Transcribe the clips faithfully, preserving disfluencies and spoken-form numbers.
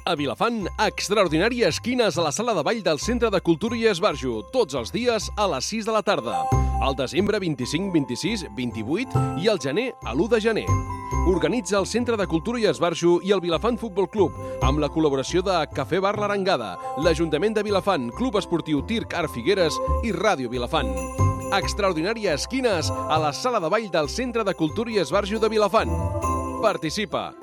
A Vilafant, extraordinària esquines a la sala de ball del Centre de Cultura i Esbarjo, tots els dies a les sis de la tarda. Al desembre vint-i-cinc, vint-i-sis, vint-i-vuit i al gener a l'u de gener. Organitza el Centre de Cultura i Esbarjo i el Vilafant Futbol Club, amb la col·laboració de Cafè Bar l'Arengada, l'Ajuntament de Vilafant, Club Esportiu Tirc Art Figueres i Ràdio Vilafant. Extraordinària esquines a la sala de ball del Centre de Cultura i Esbarjo de Vilafant. Participa!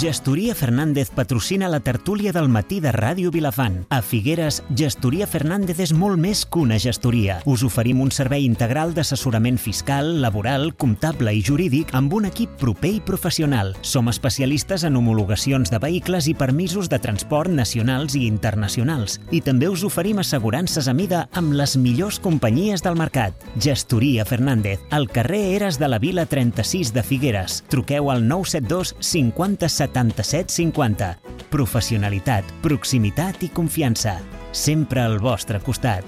Gestoria Fernández patrocina la tertúlia del matí de Ràdio Vilafant. A Figueres, Gestoria Fernández és molt més que una gestoria. Us oferim un servei integral d'assessorament fiscal, laboral, comptable i jurídic amb un equip proper i professional. Som especialistes en homologacions de vehicles i permisos de transport nacionals i internacionals. I també us oferim assegurances a mida amb les millors companyies del mercat. Gestoria Fernández, al carrer Eres de la Vila trenta-sis de Figueres. Truqueu al nou set dos cinquanta setanta-set cinquanta. Professionalitat, proximitat i confiança. Sempre al vostre costat.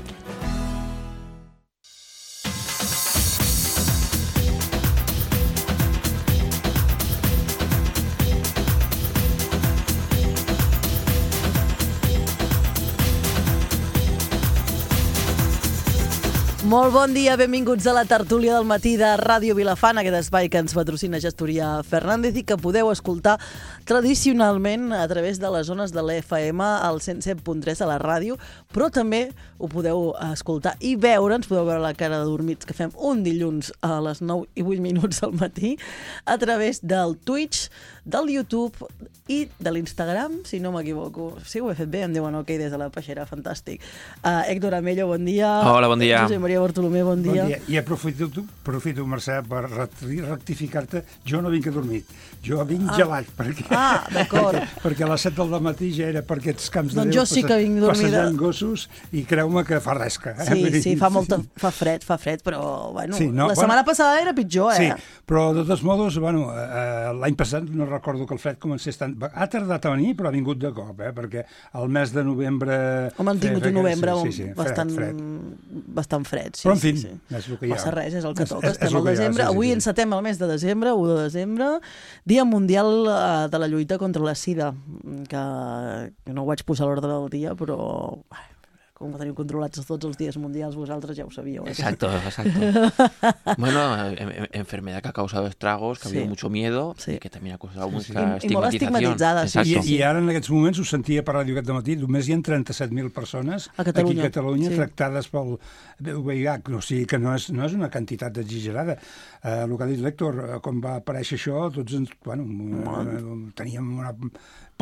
Molt bon dia, benvinguts a la tertúlia del matí de Ràdio Vilafant, aquest espai que ens patrocina Gestoria Fernández i que podeu escoltar tradicionalment a través de les zones de l'E F M al cent set punt tres a la ràdio, però també ho podeu escoltar i veure, ens podeu veure la cara de dormits que fem un dilluns a les nou i vuit minuts del matí a través del Twitch, del YouTube i de l'Instagram, si no m'equivoco. Sí, ho he fet bé, em diuen ok des de la peixera, fantàstic. Uh, Héctor Amello, bon dia. Hola, bon dia. Josep Maria Bartolomé, bon dia. Bon dia. I aprofito, aprofito Mercè, per rectificar-te. Jo no vinc a dormir, jo vinc ah. gelat. Perquè, ah, d'acord. Perquè, perquè a les set del matí ja era per aquests camps doncs de Déu, jo sí que vinc dormida. Passejant gossos, i creu-me que fa resca. Eh? Sí, sí, fa, molta, fa fred, fa fred, però bueno, sí, no, la bueno, setmana passada era pitjor, eh? Sí, però de tots modos, bueno, eh, l'any passat no recordo que el fred comencés tant... Ha tardat a venir, però ha vingut de cop, eh? Perquè el mes de novembre... Home, han tingut un novembre sí, sí, sí, bastant fred, fred. bastant fred. Sí, però, en fi, sí, sí. és el que hi ha. Passa res, és el que toca. És, Estem al desembre. Ha, sí, Avui sí, sí. encetem el mes de desembre, u de desembre, Dia Mundial de la Lluita contra la Sida, que no ho vaig posar a l'ordre del dia, però... com ho teniu controlats tots els dies mundials, vosaltres ja ho sabíeu. ¿eh? Exacto, exacto. Bueno, enfermedad que ha causado estragos, que ha sí. habido mucho miedo, sí. y que también ha causado sí, sí. I, mucha i molt estigmatización. Sí. I, I ara en aquests moments ho sentia per ràdio aquest matí, només hi ha trenta-set mil persones a Catalunya. aquí a Catalunya sí. tractades pel V I H, o sigui que no és, no és una quantitat exagerada. Eh, el que ha dit l'Héctor, quan va aparèixer això, tots ens, bueno, bueno. teníem una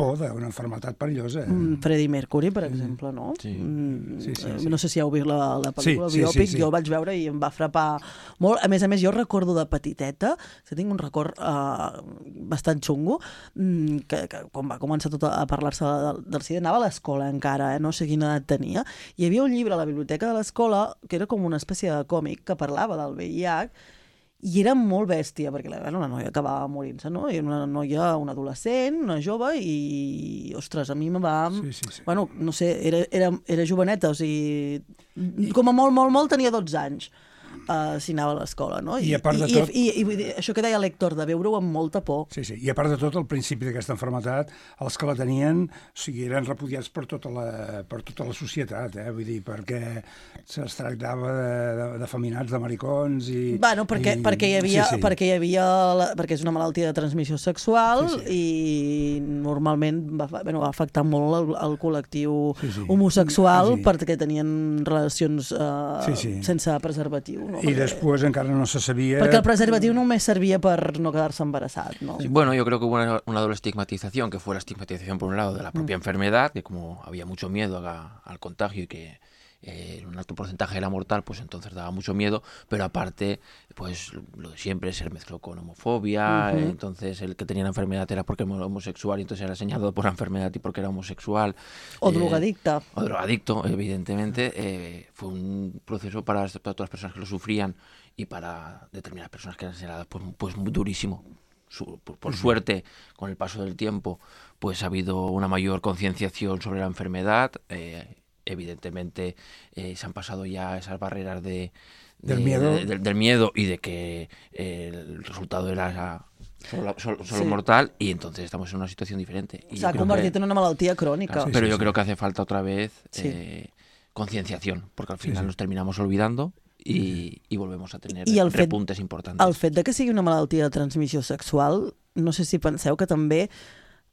por d'una malaltia perillosa. Mm, Freddie Mercury, per exemple, no? Sí. Mm, sí, sí, sí. No sé si heu vist la, la pel·lícula sí, biòpic, sí, sí, sí. jo vaig veure i em va frapar molt. A més a més, jo recordo de petiteta, que tinc un record uh, bastant xungo, mm, que, que quan va començar tot a parlar-se del, del SIDA, anava a l'escola encara, eh? No sé quina edat tenia, i hi havia un llibre a la biblioteca de l'escola que era com una espècie de còmic que parlava del V I H, i era molt bèstia, perquè bueno, la noia acabava morint-se, no? I una noia, una adolescent, una jove, i, ostres, a mi me va... Sí, sí, sí. Bueno, no sé, era, era, era joveneta, o sigui, com a molt, molt, molt tenia dotze anys. Uh, si anava a l'escola, no? I, I a part de i, tot... I, i, i això que deia l'Héctor, de veure-ho amb molta por. Sí, sí. I a part de tot, al principi d'aquesta malaltia, els que la tenien, o sigui, eren repudiats per tota la, per tota la societat, eh? Vull dir, perquè se'ls tractava d'afeminats, de, de maricons i... Bueno, perquè, i... perquè hi havia... Sí, sí. Perquè hi havia la, perquè és una malaltia de transmissió sexual sí, sí. i normalment va, bueno, va afectar molt el, el col·lectiu sí, sí. homosexual sí. perquè tenien relacions uh, sí, sí. sense preservatiu. No? I perquè, després encara no se sabia... Perquè el preservatiu només servia per no quedar-se embarassat, ¿no? Sí, bueno, yo creo que hubo una, una doble estigmatización, que fue la estigmatización por un lado de la propia mm. enfermedad, que como había mucho miedo a, al contagio y que eh, un alto porcentaje era mortal, pues entonces daba mucho miedo, pero aparte, pues lo de siempre se mezcló con homofobia, uh-huh. eh, entonces el que tenía la enfermedad era porque era homosexual y entonces era señalado por la enfermedad y porque era homosexual. O eh, drogadicta. O drogadicto, evidentemente. Eh, fue un proceso para, para todas las personas que lo sufrían y para determinadas personas que eran señaladas, pues, pues muy durísimo. Su, por, por uh-huh. suerte, con el paso del tiempo, pues ha habido una mayor concienciación sobre la enfermedad. Eh, evidentemente eh, se han pasado ya esas barreras de, de, del, miedo. De, de, del miedo y de que eh, el resultado era solo, solo, solo Sí. mortal, y entonces estamos en una situación diferente. Y S'ha yo creo convertit que- en una malaltia crònica. Claro, Sí, pero sí, yo sí. creo que hace falta otra vez Sí. eh, concienciación, porque al final sí. nos terminamos olvidando y, y volvemos a tener I el fet- repuntes importantes. El fet de que sigui una malaltia de transmissió sexual, no sé si penseu que també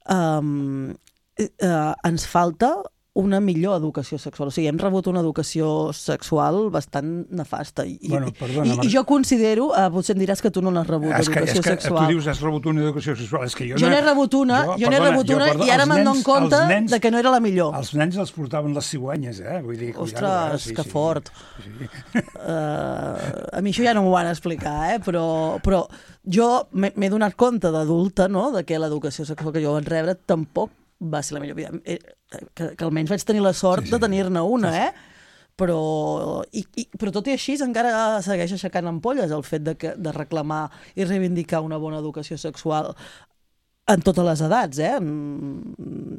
um, eh, eh, ens falta una millor educació sexual. O sigui, hem rebut una educació sexual bastant nefasta. I, Bueno, perdona, i, Mar- i jo considero, eh, potser em diràs que tu no n'has rebut, És que, és educació que sexual. tu dius has rebut una educació sexual. És que jo, Jo n'he rebut una, jo, jo n'he perdona, rebut una jo, perdona, i ara els me'n dono nens- compte els nens- de que no era la millor. Els nens els portaven les cigüenyes, eh? Vull dir, Ostres, cuidado, eh? Sí, que sí. fort. Sí. Uh, a mi això ja no m'ho van explicar, eh? però, però jo m'he m'he donat compte d'adulta, no?, de que l'educació sexual que jo vaig rebre tampoc va ser la millor vida. Eh, Que, que almenys vaig tenir la sort Sí, sí. de tenir-ne una, eh? Però, i, i, però tot i així encara segueix aixecant ampolles el fet de, que, de reclamar i reivindicar una bona educació sexual en totes les edats, eh? Mm,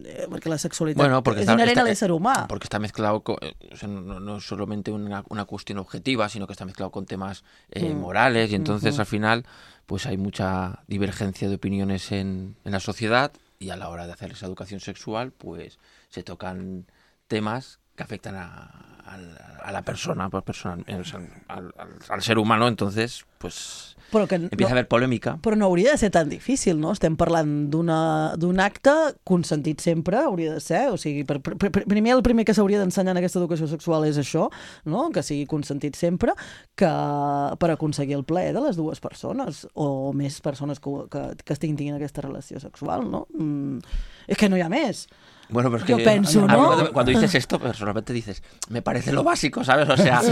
eh, Perquè la sexualitat Bueno, porque és está- inherent está- a l'ésser humà. Porque está mezclado, con, eh, o sea, no, no es solamente una, una cuestión objetiva, sino que está mezclado con temas eh, Mm. morales, y entonces Ujú. al final pues hay mucha divergencia de opiniones en, en la sociedad, y a la hora de hacer esa educación sexual pues se tocan temas que afectan a, a, a la persona, pues, personal, o sea, al, al, al ser humano, entonces pues Però que empieza a no, haver polémica. Però no hauria de ser tan difícil, no? Estem parlant d'una- d'un acte consentit sempre, hauria de ser. O sigui, per, per, per, primer el primer que s'hauria d'ensenyar en aquesta educació sexual és això, no? Que sigui consentit sempre, que per aconseguir el plaer de les dues persones, o més persones que, que, que estiguin tinguin aquesta relació sexual, no? Mm, és que no hi ha més. Bueno, pero es Yo que pienso, a mí ¿no? cuando, cuando dices esto, personalmente dices, me parece lo básico, ¿sabes? O sea,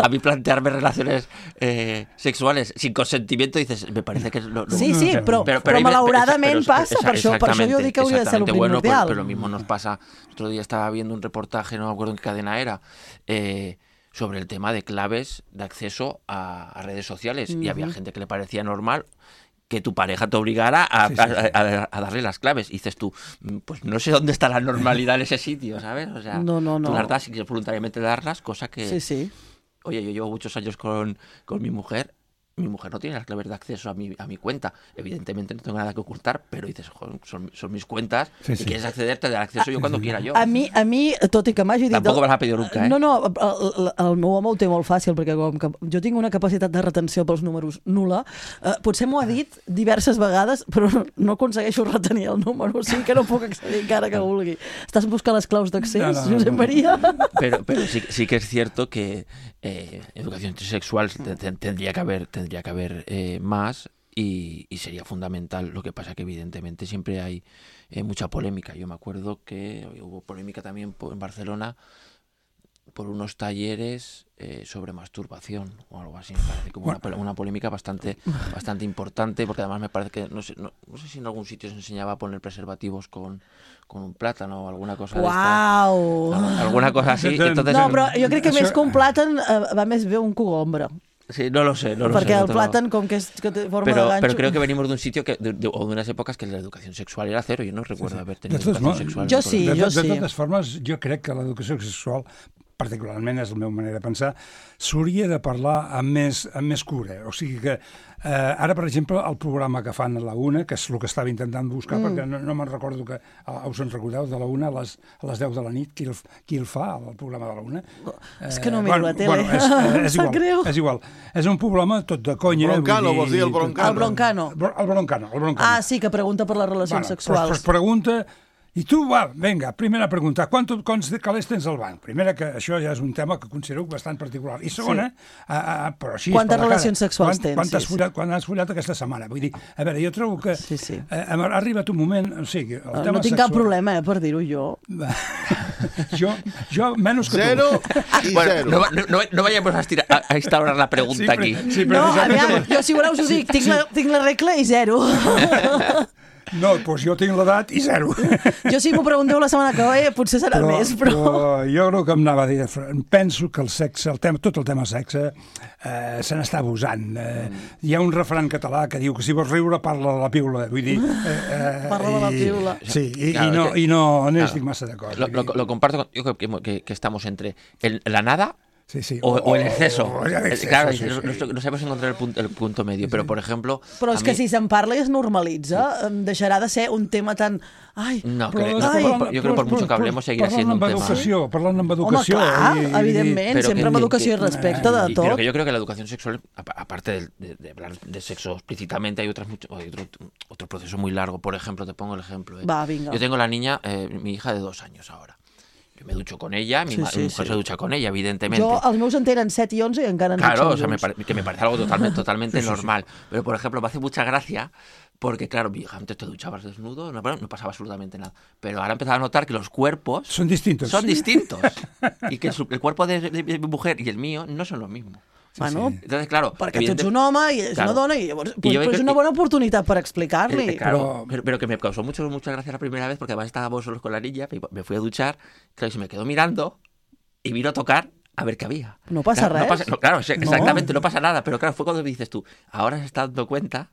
a mí plantearme relaciones eh, sexuales sin consentimiento, dices, me parece que es lo... lo- Sí, sí, però, però, però hay ve- malauradament pero- passa, esa- per això, per això jo dic que hauria de ser el exactamente, bueno, primordial. pues, pero lo mismo nos pasa, el otro día estaba viendo un reportaje, no me acuerdo en qué cadena era, eh, sobre el tema de claves de acceso a, a redes sociales, y había gente que le parecía normal que tu pareja te obligara a, Sí, sí, sí. a- a- a darle las claves. Y dices tú, "Mm, pues no sé dónde está la normalidad en ese sitio, ¿sabes? O sea, No, no, no. tú las das si quieres voluntariamente darlas, cosa que... Sí, sí. Oye, yo llevo muchos años con, con mi mujer. Mi mujer no tiene las claves de acceso a mi, a mi cuenta. Evidentemente no tengo nada que ocultar, pero dices, "Joder, son, son mis cuentas, Sí, y sí. quieres acceder, te daré acceso yo cuando quiera yo. A mi, a mi, tot i que m'hagi dit... Tampoc me l'ha pedido nunca, eh? No, no, el, el, el meu home ho té molt fàcil, perquè com que jo tinc una capacitat de retenció pels números nul·la, eh, potser m'ho ha dit diverses vegades, però no, no aconsegueixo retenir el número, o sigui que no puc accedir encara que vulgui. Estàs buscant les claus d'accés, No, no, no, Josep no. Maria? Pero, pero sí, sí que es cierto que eh, educación sexual te- te- tendría que haber, tendría que haber eh, más, y, y sería fundamental. Lo que pasa que evidentemente siempre hay eh, mucha polémica. Yo me acuerdo que hubo polémica también po- en Barcelona por unos talleres eh, sobre masturbación o algo así. Me parece como una, pole- una polémica bastante, bastante importante, porque además me parece que, no sé, no, no sé si en algún sitio se enseñaba a poner preservativos con, con un plátano o alguna cosa de esta. Uau! Al- alguna cosa así. Entonces, No, però jo crec que Això- més que un plàtan eh, va més bé un cogombre, sí, no lo sé, no lo perquè sé. no el te lo- plàtan, com que és que té forma Pero, de ganxo... pero creo que venimos de un sitio que, de, de- o de unas épocas que la educación sexual era cero. Yo no recuerdo haber tenido De totes educación mo- sexual. Jo en el sí, colegio. de, jo de sí. totes formes, jo crec que l'educació sexual, particularment és la meva manera de pensar, s'hauria de parlar amb més, amb més cura. O sigui que eh, ara, per exemple, el programa que fan a la una, que és el que estava intentant buscar, mm. perquè no, no me'n recordo que uh, us en recordeu, de la una a les, a les deu de la nit, qui el, qui el fa, el programa de la una? És que no miro la tele. Bueno, és, eh, és, Sap igual, greu. és igual. És un programa tot de conya. Broncano, vull vols dir el Broncano? El Broncano. El Broncano, el Broncano. Ah, sí, que pregunta per les relacions Bueno, sexuals. Pues, pues pregunta, i tu, va, vinga, primera pregunta, quant, quants calés tens al banc? Primera, que això ja és un tema que considero bastant particular. I segona, sí. a, a, però així... Quantes per la relacions cara, sexuals quant, tens? Quant has, Sí, sí. follat, quan has follat aquesta setmana? Vull dir, a veure, jo trobo que Sí, sí. eh, ha arribat un moment, o sigui, el No, tema no tinc sexual... cap problema, eh, per dir-ho jo. jo, jo, menys que Zero tu. i Bueno, zero. no, no, no, no vayamos a, estirar, a, a instaurar la pregunta Sí, aquí. pre- sí, No, precisament- aviam, jo si voleu us ho dic, tinc, la, tinc la regla i zero. No, doncs jo tinc l'edat i zero. Jo si m'ho pregunteu la setmana que ve, potser serà però, més, però... però jo crec que em anava a dir, penso que el sexe, el tema, tot el tema sexe, eh, se n'està abusant. Eh, hi ha un refrany català que diu que si vols riure parla de la piula, vull dir... Eh, eh, Parla de la i- piula. Sí, i, Claro, i no, que- i no, no claro. estic massa d'acord. Lo, vull lo, dir- lo comparto con, yo creo que, que, que estamos entre el- la nada Sí, sí. O, o el exceso. O el exceso, claro, sí, no, sí. no, no sabemos encontrar el punto, el punto medio, pero por ejemplo... Però és a que mi- si se'n parla i es normalitza, sí. deixarà de ser un tema tan... Ai, No, Però, creo, és no, que por- parlant- yo creo que por però- mucho que però- hablemos seguirá parlant siendo un amb tema... educació, parlant amb home, educació... clar, i- i- evidentment, Pero sempre que- amb educació i que- respecte de y- tot. Pero que yo creo que la educación sexual, apa- aparte de, de- de hablar de sexo explícitamente, hay, otras mucho, hay otro, otro proceso muy largo. Por ejemplo, te pongo el ejemplo. ¿eh? Va, vinga. Yo tengo la niña, eh, mi hija de dos años ahora. Yo me ducho con ella, mi, Sí, ma- sí, mi mujer sí. se ducha con ella, evidentemente. Jo, els meus en tenen set i onze i encara ens Claro, dutxem o sea, me junts. pare- que me parece algo totalmente, totalmente Sí, sí, sí. normal. Pero, por ejemplo, me hace mucha gracia porque, claro, mi hija, antes te duchabas desnudo, no, no pasaba absolutamente nada. Pero ahora he empezado a notar que los cuerpos Son distintos. son distintos. Y que su- el cuerpo de, de- de mi mujer y el mío no son lo mismo. Bueno, Entonces, claro... perquè tu ets evidente- un home i ella és Claro. una dona i llavors I pues, jo pues és crec una que- bona oportunitat per Eh, explicar-li. eh, claro, Pero- pero, pero que me causó mucho, mucha gracia la primera vez porque además estábamos solos con la niña, me, me fui a duchar, claro, y se me quedó mirando y vino a tocar a ver qué había. No pasa claro, no res. pasa- no, claro, sí, No. exactamente, no. pasa nada, pero claro, fue cuando me dices tú, ahora se está dando cuenta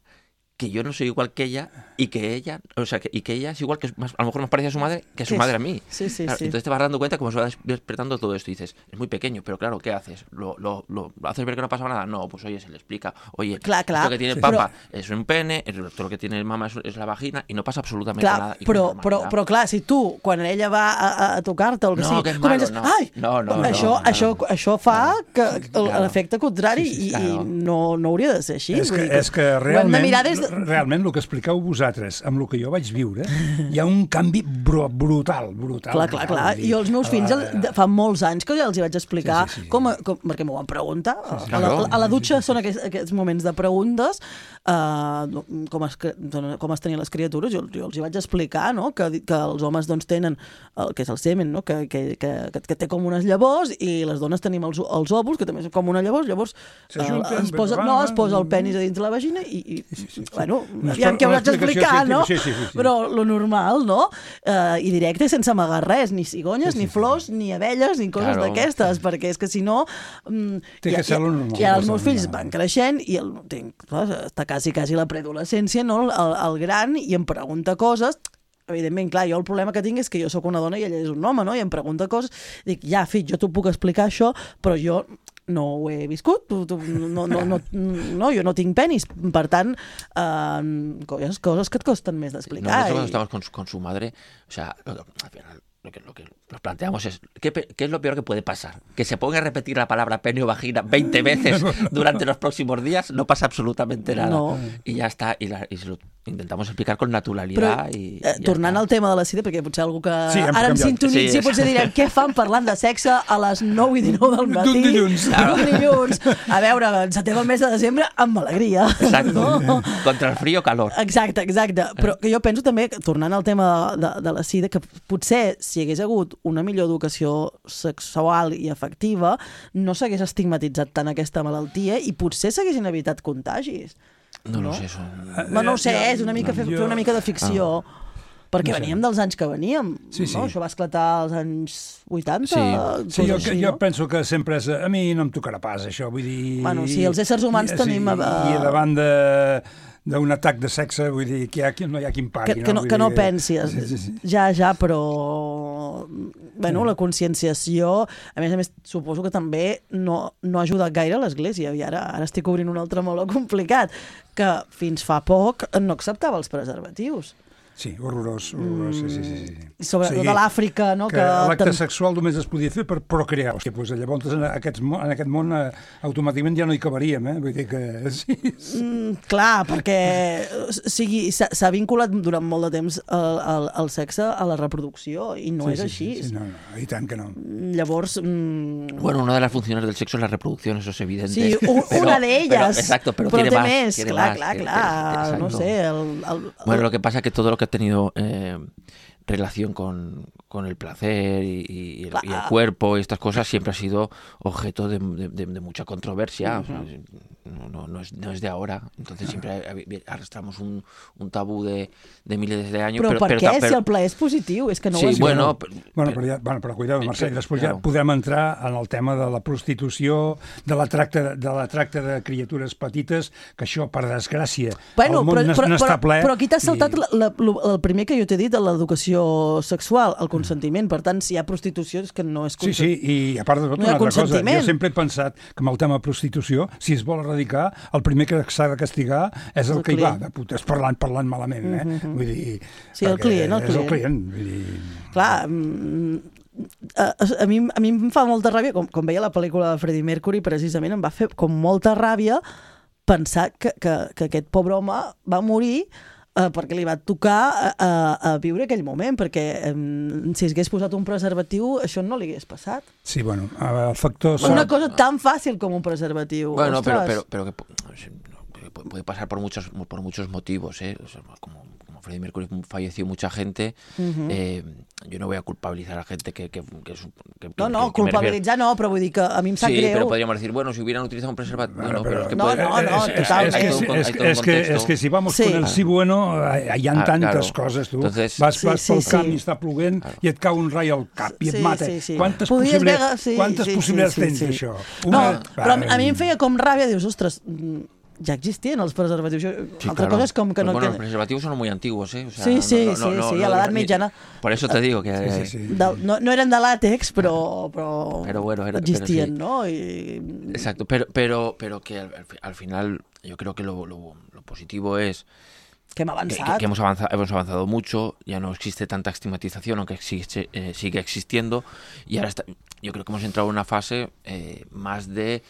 que yo no soy igual que ella y que ella, o sea, que, y que ella es igual que, más, a lo mejor más parecida a su madre que a su Que es- madre a mí. Sí, sí, Claro, sí. Entonces te vas dando cuenta cómo se va des- despertando todo esto y dices, es muy pequeño, pero claro, ¿qué haces? ¿Lo, lo, lo haces ver que no pasa nada? No, pues oye, se le explica, oye, Clar, clar. esto que tiene el Sí. papa es un pene, esto lo que tiene el mamá es, es la vagina y no pasa absolutamente Clar, nada. Y con però, però, normalidad. però clar, si tu, quan ella va a, a, a tocar-te o el que No, sigui, que és comences, malo, no. ai, No, no, això, no, no. això, això fa que Claro. l'efecte contrari Sí, sí, sí, i, claro. i no, no hauria de ser així. És vull que, dir és que ho hem de realment, mirar des de... realment el que expliqueu vosaltres amb el que jo vaig viure, hi ha un canvi br brutal, brutal. Clar, clar, clar. brutal, vull dir, Jo els meus fills a el- la- de- fa molts anys que ja els hi vaig explicar, Sí, sí, sí. Com, com, perquè m'ho van preguntar. A, la, Claro. a la dutxa són aquests, aquests moments de preguntes, uh, com, es, cre- com es tenien les criatures. Jo, jo els hi vaig explicar, no?, que, que els homes doncs, tenen el que és el semen, no?, que, que, que, que té com unes llavors, i les dones tenim els, els òvuls, que també són com una llavors. Llavors S'ajunten, uh, es posa, va, no, va, es posa el va. penis a dins de la vagina i, i Sí, sí, sí. bueno, Una aviam expl- què una hauràs d'explicar, explicació no? científica, sí, sí, sí. Però lo normal, no? Uh, I directe, sense amagar res, ni cigonyes, Sí, sí, ni sí. flors, ni abelles, ni coses Claro. d'aquestes, perquè és que si no... Um, Té que ser lo normal. I ara Té els que meus ser lo fills normal. van creixent i el, tinc, clar, està quasi, quasi la preadolescència, no?, el, el gran, i em pregunta coses. Evidentment, clar, jo el problema que tinc és que jo sóc una dona i ella és un home, no?, i em pregunta coses, dic, ja, fill, jo t'ho puc explicar això, però jo no ho he viscut, tu, tu, no, no, no, no, jo no tinc penis, per tant, eh, coses, coses que et costen més d'explicar. Nosotros cuando i- estamos con su, con su madre, o sea, lo- lo- al final, lo que, lo que nos planteamos es, ¿qué, pe- ¿qué es lo peor que puede pasar? Que se ponga a repetir la palabra pene o vagina veinte veces durante los próximos días, no pasa absolutamente nada. No. Y ya está, y, la- y se lo intentamos explicar con Però, naturalidad. y, eh, y ya tornant está. al tema de la sida, perquè potser algú que Sí, hem ara em canviat. sintonitzi Sí, potser direm què fan parlant de sexe a les nou i dinou del matí. D'un dilluns. D'un dilluns. A veure, encetem el mes de desembre amb alegria. Exacto. No? Contra el frío, calor. Exacte, exacte. Però que jo penso també, tornant al tema de, de la sida, que potser si hi hagués hagut una millor educació sexual i afectiva, no s'hagués estigmatitzat tant aquesta malaltia i potser s'haguessin evitat contagis. No, No? lo sé, eso. No, no ho sé, jo- és una mica fer, jo- fer una mica de ficció. Perquè No sé. veníem dels anys que veníem. Sí, sí. No? Això va esclatar als anys vuitanta. Sí. Sí, jo, coses així, jo no? penso que sempre és... A mi no em tocarà pas, això, vull dir... Bueno, sí, els éssers humans i, tenim, Sí, eh, I davant de d'un atac de sexe, vull dir, que, hi ha, que no hi ha qui em pagui. Que, que, no, Vull que no dir, pensis. Sí, sí, sí. Ja, ja, però... Bueno, la conscienciació, a més a més, suposo que també no, no ha ajudat gaire l'Església. I ara, ara estic obrint un altre meló complicat, que fins fa poc no acceptava els preservatius. Sí, horrorós, horrorós, sí, sí, sí. sí. I sobretot de l'Àfrica, no? Que, que l'acte tam- sexual només es podia fer per procrear. Hòstia, doncs llavors en, aquests, mo- en aquest món eh, automàticament ja no hi cabaríem, eh? Vull dir que... Sí, sí. Mm, clar, perquè o sigui, s'ha s'ha vinculat durant molt de temps el, el, el sexe a la reproducció i no sí, és sí, així. Sí, sí, no, no, i tant que no. Llavors, mm, Bueno, una de las funciones del sexo es la reproducción, eso es evidente. sí, un, Pero- una d'elles, pero- exacto, pero, però tiene té más, més, tiene clar, más, clar, tiene- clar, tiene- no exacto. sé. El, el, el, Bueno, lo que pasa es que todo lo que ha tenido eh, relación con, con el placer y, y el, y el Claro. cuerpo y estas cosas siempre ha sido objeto de, de- de- de mucha controversia. O sea, no, no, no, es, no es de ahora. Entonces siempre ha- arrastramos un, un tabú de, de miles de años. però, pero, per pero, què? pero- si el plaer és positiu, és que no sí, ho has bueno, dit. pero- Bueno, però, ja, bueno, però cuidado, Mercè, després ja Claro. podem entrar en el tema de la prostitució, de la tracta de, la tracta de criatures petites, que això, per desgràcia, Bueno, el món però, no, però, no està però, ple. però aquí t'has saltat i- la, la, el primer que jo t'he dit, de l'educació relació sexual, el consentiment. Per tant, si hi ha prostitució és que no és consentiment. Sí, sí, i a part de tot, no una altra cosa. Jo sempre he pensat que amb el tema prostitució, si es vol erradicar, el primer que s'ha de castigar és el, el que hi va, de putes, parlant, parlant malament, eh? Mm-hmm. Vull dir... Sí, el client, el client. És el client, vull dir... Clar, a, a, mi, a mi em fa molta ràbia, com, com veia la pel·lícula de Freddie Mercury, precisament em va fer com molta ràbia pensar que, que, que aquest pobre home va morir eh, perquè li va tocar a, a, a viure aquell moment, perquè eh, si hagués posat un preservatiu això no li hagués passat. Sí, bueno, el factor... Una cosa tan fàcil com un preservatiu. Bueno, pero, pero, pero que puede pasar por muchos, por muchos motivos, ¿eh? O sea, como, como Freddie Mercury falleció mucha gente, uh-huh. eh, yo no voy a culpabilizar a la gente que... que, que, que no, no, que, que culpabilitzar no, però vull dir que a mi em sap sí, greu. Sí, pero podríamos decir, bueno, si hubieran utilizado un preservativo... Bueno, no, pero es que no, puede, no, no, es, es, es, que, es, es, que, es que si vamos sí. con el sí bueno, hi ha ah, tantes claro. coses, tu. Entonces, vas vas sí, pel sí, camp sí. i està plovent claro. i et cau un rai al cap i et sí, mata. Sí, sí. Quantes possibilitats, sí, quantes sí, possibilitats sí, sí, tens d'això? Sí. No, però a mi em feia com ràbia, dius, ostres... ya existían los preservativos. Sí, Otra claro. cosa es como que pues no... Bueno, que... los preservativos son muy antiguos, ¿eh? O sea, sí, sí, no, no, sí, no, sí, no, a l'edat mitjana. Por eso te digo que... Sí, sí, sí. De, no, no eren de làtex, però, però, pero bueno, era, existien, pero sí. ¿no? Y... Exacto, pero, pero, pero que al, al final yo creo que lo, lo, lo positivo es... Que, que, que, que hemos, avanzado, hemos avanzado mucho, ya no existe tanta estigmatización, aunque existe, eh, sigue existiendo, y ahora está, yo creo que hemos entrado en una fase eh, más de...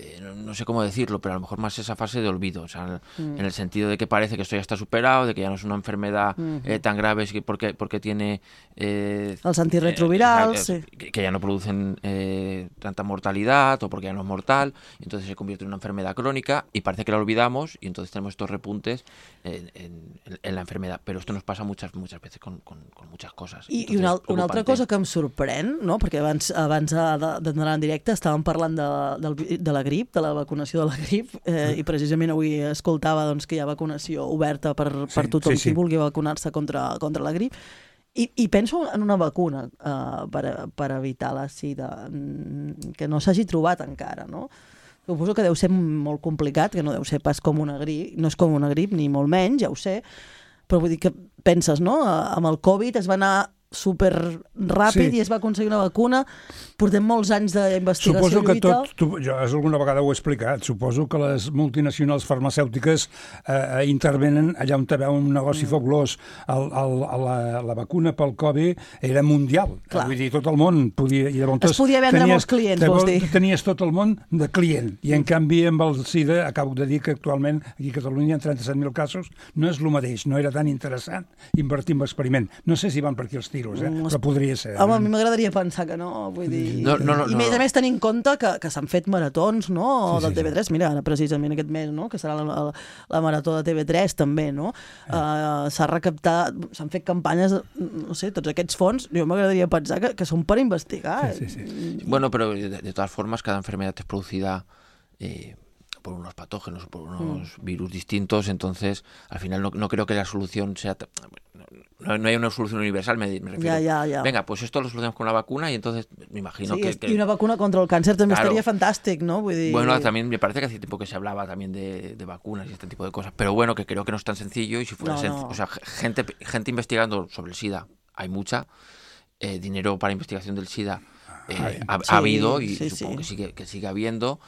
Eh, no, no sé cómo decirlo, pero a lo mejor más esa fase de olvido, o sea, mm. en el sentido de que parece que esto ya está superado, de que ya no es una enfermedad mm. eh, tan grave porque, porque tiene... Eh, Els antirretrovirals, eh, sí. que, que ya no producen eh, tanta mortalidad o porque ya no es mortal, y entonces se convierte en una enfermedad crónica y parece que la olvidamos y entonces tenemos estos repuntes en, en, en la enfermedad, però esto nos passa muchas, muchas veces con, con, con muchas cosas. I, i una, una altra cosa que em sorprèn, no? Perquè abans, abans d'anar en directe estàvem parlant de, de, de la grip, de la vacunació de la grip, eh, i precisament avui escoltava doncs, que hi ha vacunació oberta per, per sí, tothom sí, sí. qui vulgui vacunar-se contra, contra la grip. I, I penso en una vacuna eh, per, per evitar la sida, que no s'hagi trobat encara, no? Suposo que deu ser molt complicat, que no deu ser pas com una grip, no és com una grip, ni molt menys, ja ho sé, però vull dir que penses, no? Amb el Covid es va anar super ràpid sí. i es va aconseguir una vacuna. Portem molts anys d'investigació. Suposo que tot, tu, jo alguna vegada ho he explicat, suposo que les multinacionals farmacèutiques eh, intervenen allà on hi ha un negoci mm. fabulós. El, el, la, la vacuna pel Covid era mundial. Clar. Vull dir, tot el món podia... I llavors, es podia vendre tenies, molts clients, vols dir? Tenies tot el món de client. I en canvi amb el SIDA, acabo de dir que actualment aquí a Catalunya hi ha trenta-set mil casos, no és el mateix, no era tan interessant invertir en l'experiment. No sé si van per aquí els tiros, eh? Però podria ser. Home, a mi m'agradaria pensar que no, vull dir... No, no, no, I més a més tenint en compte que, que s'han fet maratons, no?, sí, del sí, T V tres, mira, ara precisament aquest mes, no?, que serà la, la, la marató de T V tres també, no? Eh. Uh, s'ha recaptat, s'han fet campanyes, no sé, tots aquests fons, jo m'agradaria pensar que, que són per investigar. Sí, sí, sí. Bueno, pero de, de todas formas, cada enfermedad es producida... Eh, por unos patógenos, por unos mm. virus distintos, entonces al final no, no creo que la solución sea... No, no hay una solución universal, me, me refiero. Ya, ya, ya. Venga, pues esto lo solucionamos con una vacuna y entonces me imagino sí, que, que... Y una vacuna contra el cáncer también claro. estaría fantástico, ¿no? Vull dir... Bueno, también me parece que hace tiempo que se hablaba también de, de vacunas y este tipo de cosas, pero bueno, que creo que no es tan sencillo y si fuera no, sencillo... No. O sea, gente, gente investigando sobre el SIDA, hay mucha, eh, dinero para investigación del SIDA eh, ha, sí, ha habido y sí, supongo sí. que sigue, que sigue habiendo...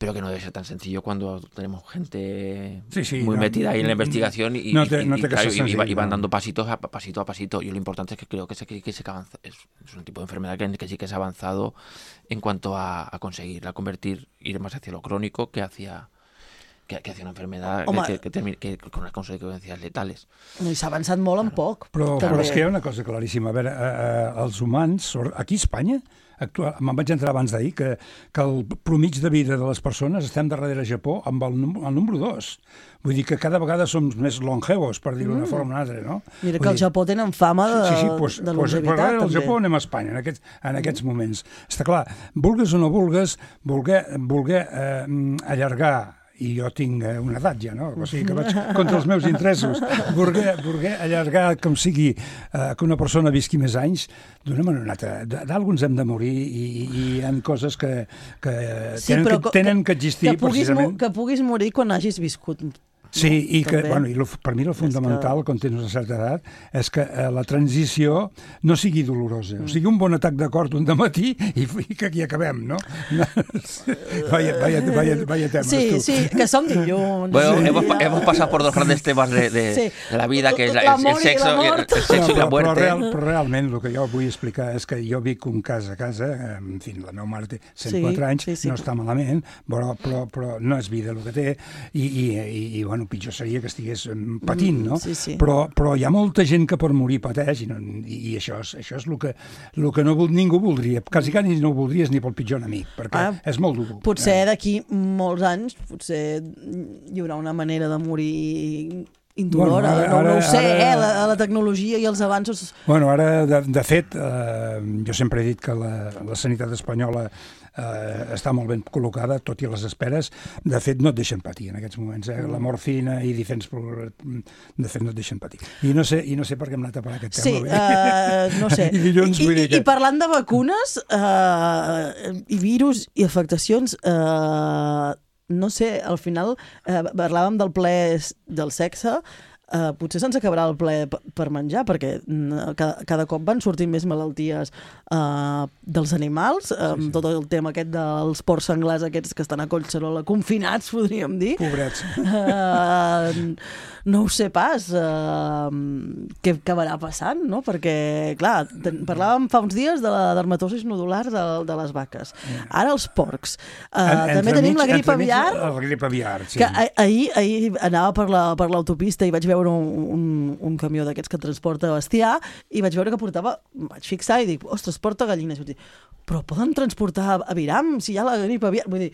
pero que no debe ser tan sencillo cuando tenemos gente sí, sí, muy no, metida ahí en la investigación y, no te, no y, te claro, sencillo, y, y van no. dando pasitos a pasito a pasito. Y lo importante es que creo que, se, que, que se avanza, es, es un tipo de enfermedad que, que sí que se ha avanzado en cuanto a, a conseguirla convertir, ir más hacia lo crónico que hacia... que, que hacia una enfermedad que, que, que, que, que con unas conseqüències letales. No, i s'ha avançat molt en poc. Però, però és que hi ha una cosa claríssima. A veure, eh, els humans, aquí a Espanya, actual, me'n vaig entrar abans d'ahir, que, que el promig de vida de les persones estem darrere Japó amb el, el número dos. Vull dir que cada vegada som més longevos, per dir-ho d'una mm. forma o una altra, no? Mira que al Japó tenen fama de, sí, sí, pues, de pues, longevitat, pues, també. Al Japó anem a Espanya, en aquests, en aquests moments. Està clar, vulgues o no vulgues, voler, voler eh, allargar i jo tinc una edat ja, no? O sigui que vaig contra els meus interessos. Voler, voler allargar com sigui eh, que una persona visqui més anys, d'una manera o una altra. D'alguns hem de morir i, i hi ha coses que, que, sí, tenen, que que tenen que existir que puguis, precisament. Que puguis morir quan hagis viscut Sí, no? i que, També. bueno, i lo, per mi el fundamental, que... quan tens una certa edat, és que eh, la transició no sigui dolorosa. Mm. O sigui, un bon atac de cor un dematí i, i que aquí acabem, no? vaya, vaya, vaya, vaya temes, sí, tu. Sí, que som dilluns. Bueno, sí, hemos, ja. hemos pasado por dos grandes temas de, de, Sí. de la vida, que es la, La el, el mort i sexo, la y el, mort. el sexo No, y la però, muerte. però, real, però realment el que jo vull explicar és que jo vic un cas a casa, en fi, la meva mare té cent quatre anys, sí, sí. no està malament, però, però, però no és vida el que té, i, i, i, i bueno, pitjor seria que estigués patint, no? Mm, sí, sí. Però, però hi ha molta gent que per morir pateix, i, no, i, i això és, això és el que, el que no, ningú voldria, quasi quasi no ho voldries ni pel pitjor enemic, perquè Ah, és molt dur. Potser d'aquí molts anys, potser hi haurà una manera de morir indolora, Bueno, ara- no, no ho ara- sé, ara- eh? La, la tecnologia i els avanços... Bueno, ara, de, de fet, eh, jo sempre he dit que la, la sanitat espanyola eh, està molt ben col·locada, tot i les esperes. De fet, no et deixen patir en aquests moments. Eh? La morfina i diferents... De fet, no et deixen patir. I no sé, i no sé per què hem anat a parar aquest Sí, tema. uh, no sé. I dilluns, I, vull dir i, que... I parlant de vacunes uh, i virus i afectacions, uh, no sé, al final uh, parlàvem del ple del sexe, Uh, potser se'ns acabarà el ple per menjar, perquè uh, cada, cada cop van sortint més malalties uh, dels animals, uh, sí, sí. Tot el tema aquest dels porcs senglars aquests que estan a Collserola confinats, podríem dir. Pobrets. Uh, no ho sé pas uh, què acabarà passant, no? Perquè, clar, ten, parlàvem fa uns dies de la dermatosis nodular de, de les vaques. Ara els porcs. Uh, En, també tenim mig, la grip aviar. La grip aviar, sí. Que ahir, ahir anava per la, per l'autopista i vaig veure un, un, un camió d'aquests que transporta bestiar i vaig veure que portava, vaig fixar i dic, ostres, porta gallines. Vaig dir, però poden transportar aviram si hi ha la grip aviar? Vull dir,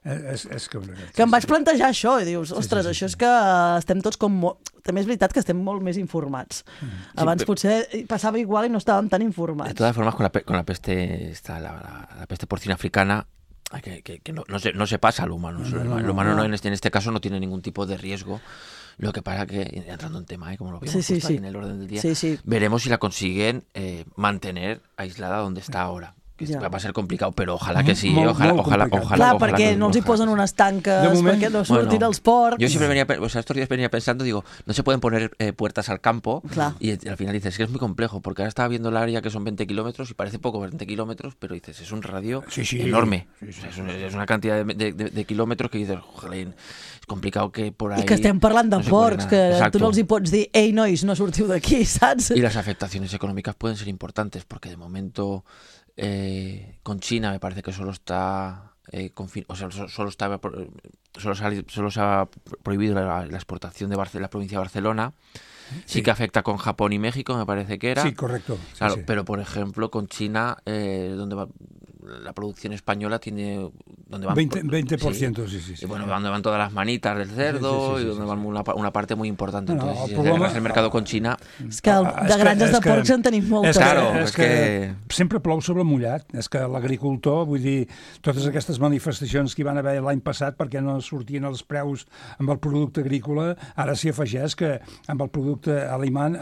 És, és que... que em vaig plantejar això i dius, ostres, sí, sí, sí, això és que estem tots com... Molt... També és veritat que estem molt més informats. Sí, abans sí, potser passava igual i no estàvem tan informats. De todas formas, con la, con la peste esta, la, la, la peste porcina africana, que, que, que no, no, se, no se pasa al humano. No, no, el humano no, en, este, en este caso no tiene ningún tipo de riesgo. Lo que pasa que, entrando en tema, ¿eh? Como lo vimos sí, sí, justo sí. ahí en el orden del día, sí, sí. veremos si la consiguen eh, mantener aislada donde está ahora. Que ja. Va a ser complicado, pero ojalá que sí, molt, ojalá, molt ojalá, complicat. ojalá, Clar, ojalá, perquè ojalá, no els hi posen unes tanques, moment, perquè no surtin bueno, els porcs. Yo siempre venía, o sea, estos días venía pensando, digo, no se pueden poner eh, puertas al campo. Claro. Y, y al final dices, es que es muy complejo, porque ahora estaba viendo el área que son veinte kilómetros y parece poco veinte kilómetros, pero dices, es un radio sí, sí, enorme. Sí, sí, o sea, es, un, es una cantidad de, de, de, de kilómetros que dices, joder, es complicado que por ahí... I que estem parlant de no porcs, que Exacto. tu no els hi pots dir, ei, nois, no sortiu d'aquí, saps? Y las afectaciones económicas pueden ser importantes, porque de momento eh, con China me parece que solo está... Eh, confin- o sea, solo, está, solo, se ha, solo se ha prohibido la, la exportación de Barce- la provincia de Barcelona. Sí. Sí que afecta con Japón y México, me parece que era. Sí, correcto. Sí, claro, sí. pero por ejemplo con China, eh, donde va, la producción española tiene... Donde van, veinte por ciento, sí, sí, sí. Y bueno, donde van todas las manitas del cerdo sí, sí, sí, y donde sí, van sí. una, una parte muy importante. No, no, Entonces, el si problema- arreglas el mercado con China... És que el, Ah, de és que- granges és de que- porcs en tenim moltes. És que, Claro, és és que, que- sempre plou sobre mullat. És que l'agricultor, vull dir, totes aquestes manifestacions que hi van haver l'any passat perquè no sortien els preus amb el producte agrícola, ara s'hi afegeix que amb el producte aliment,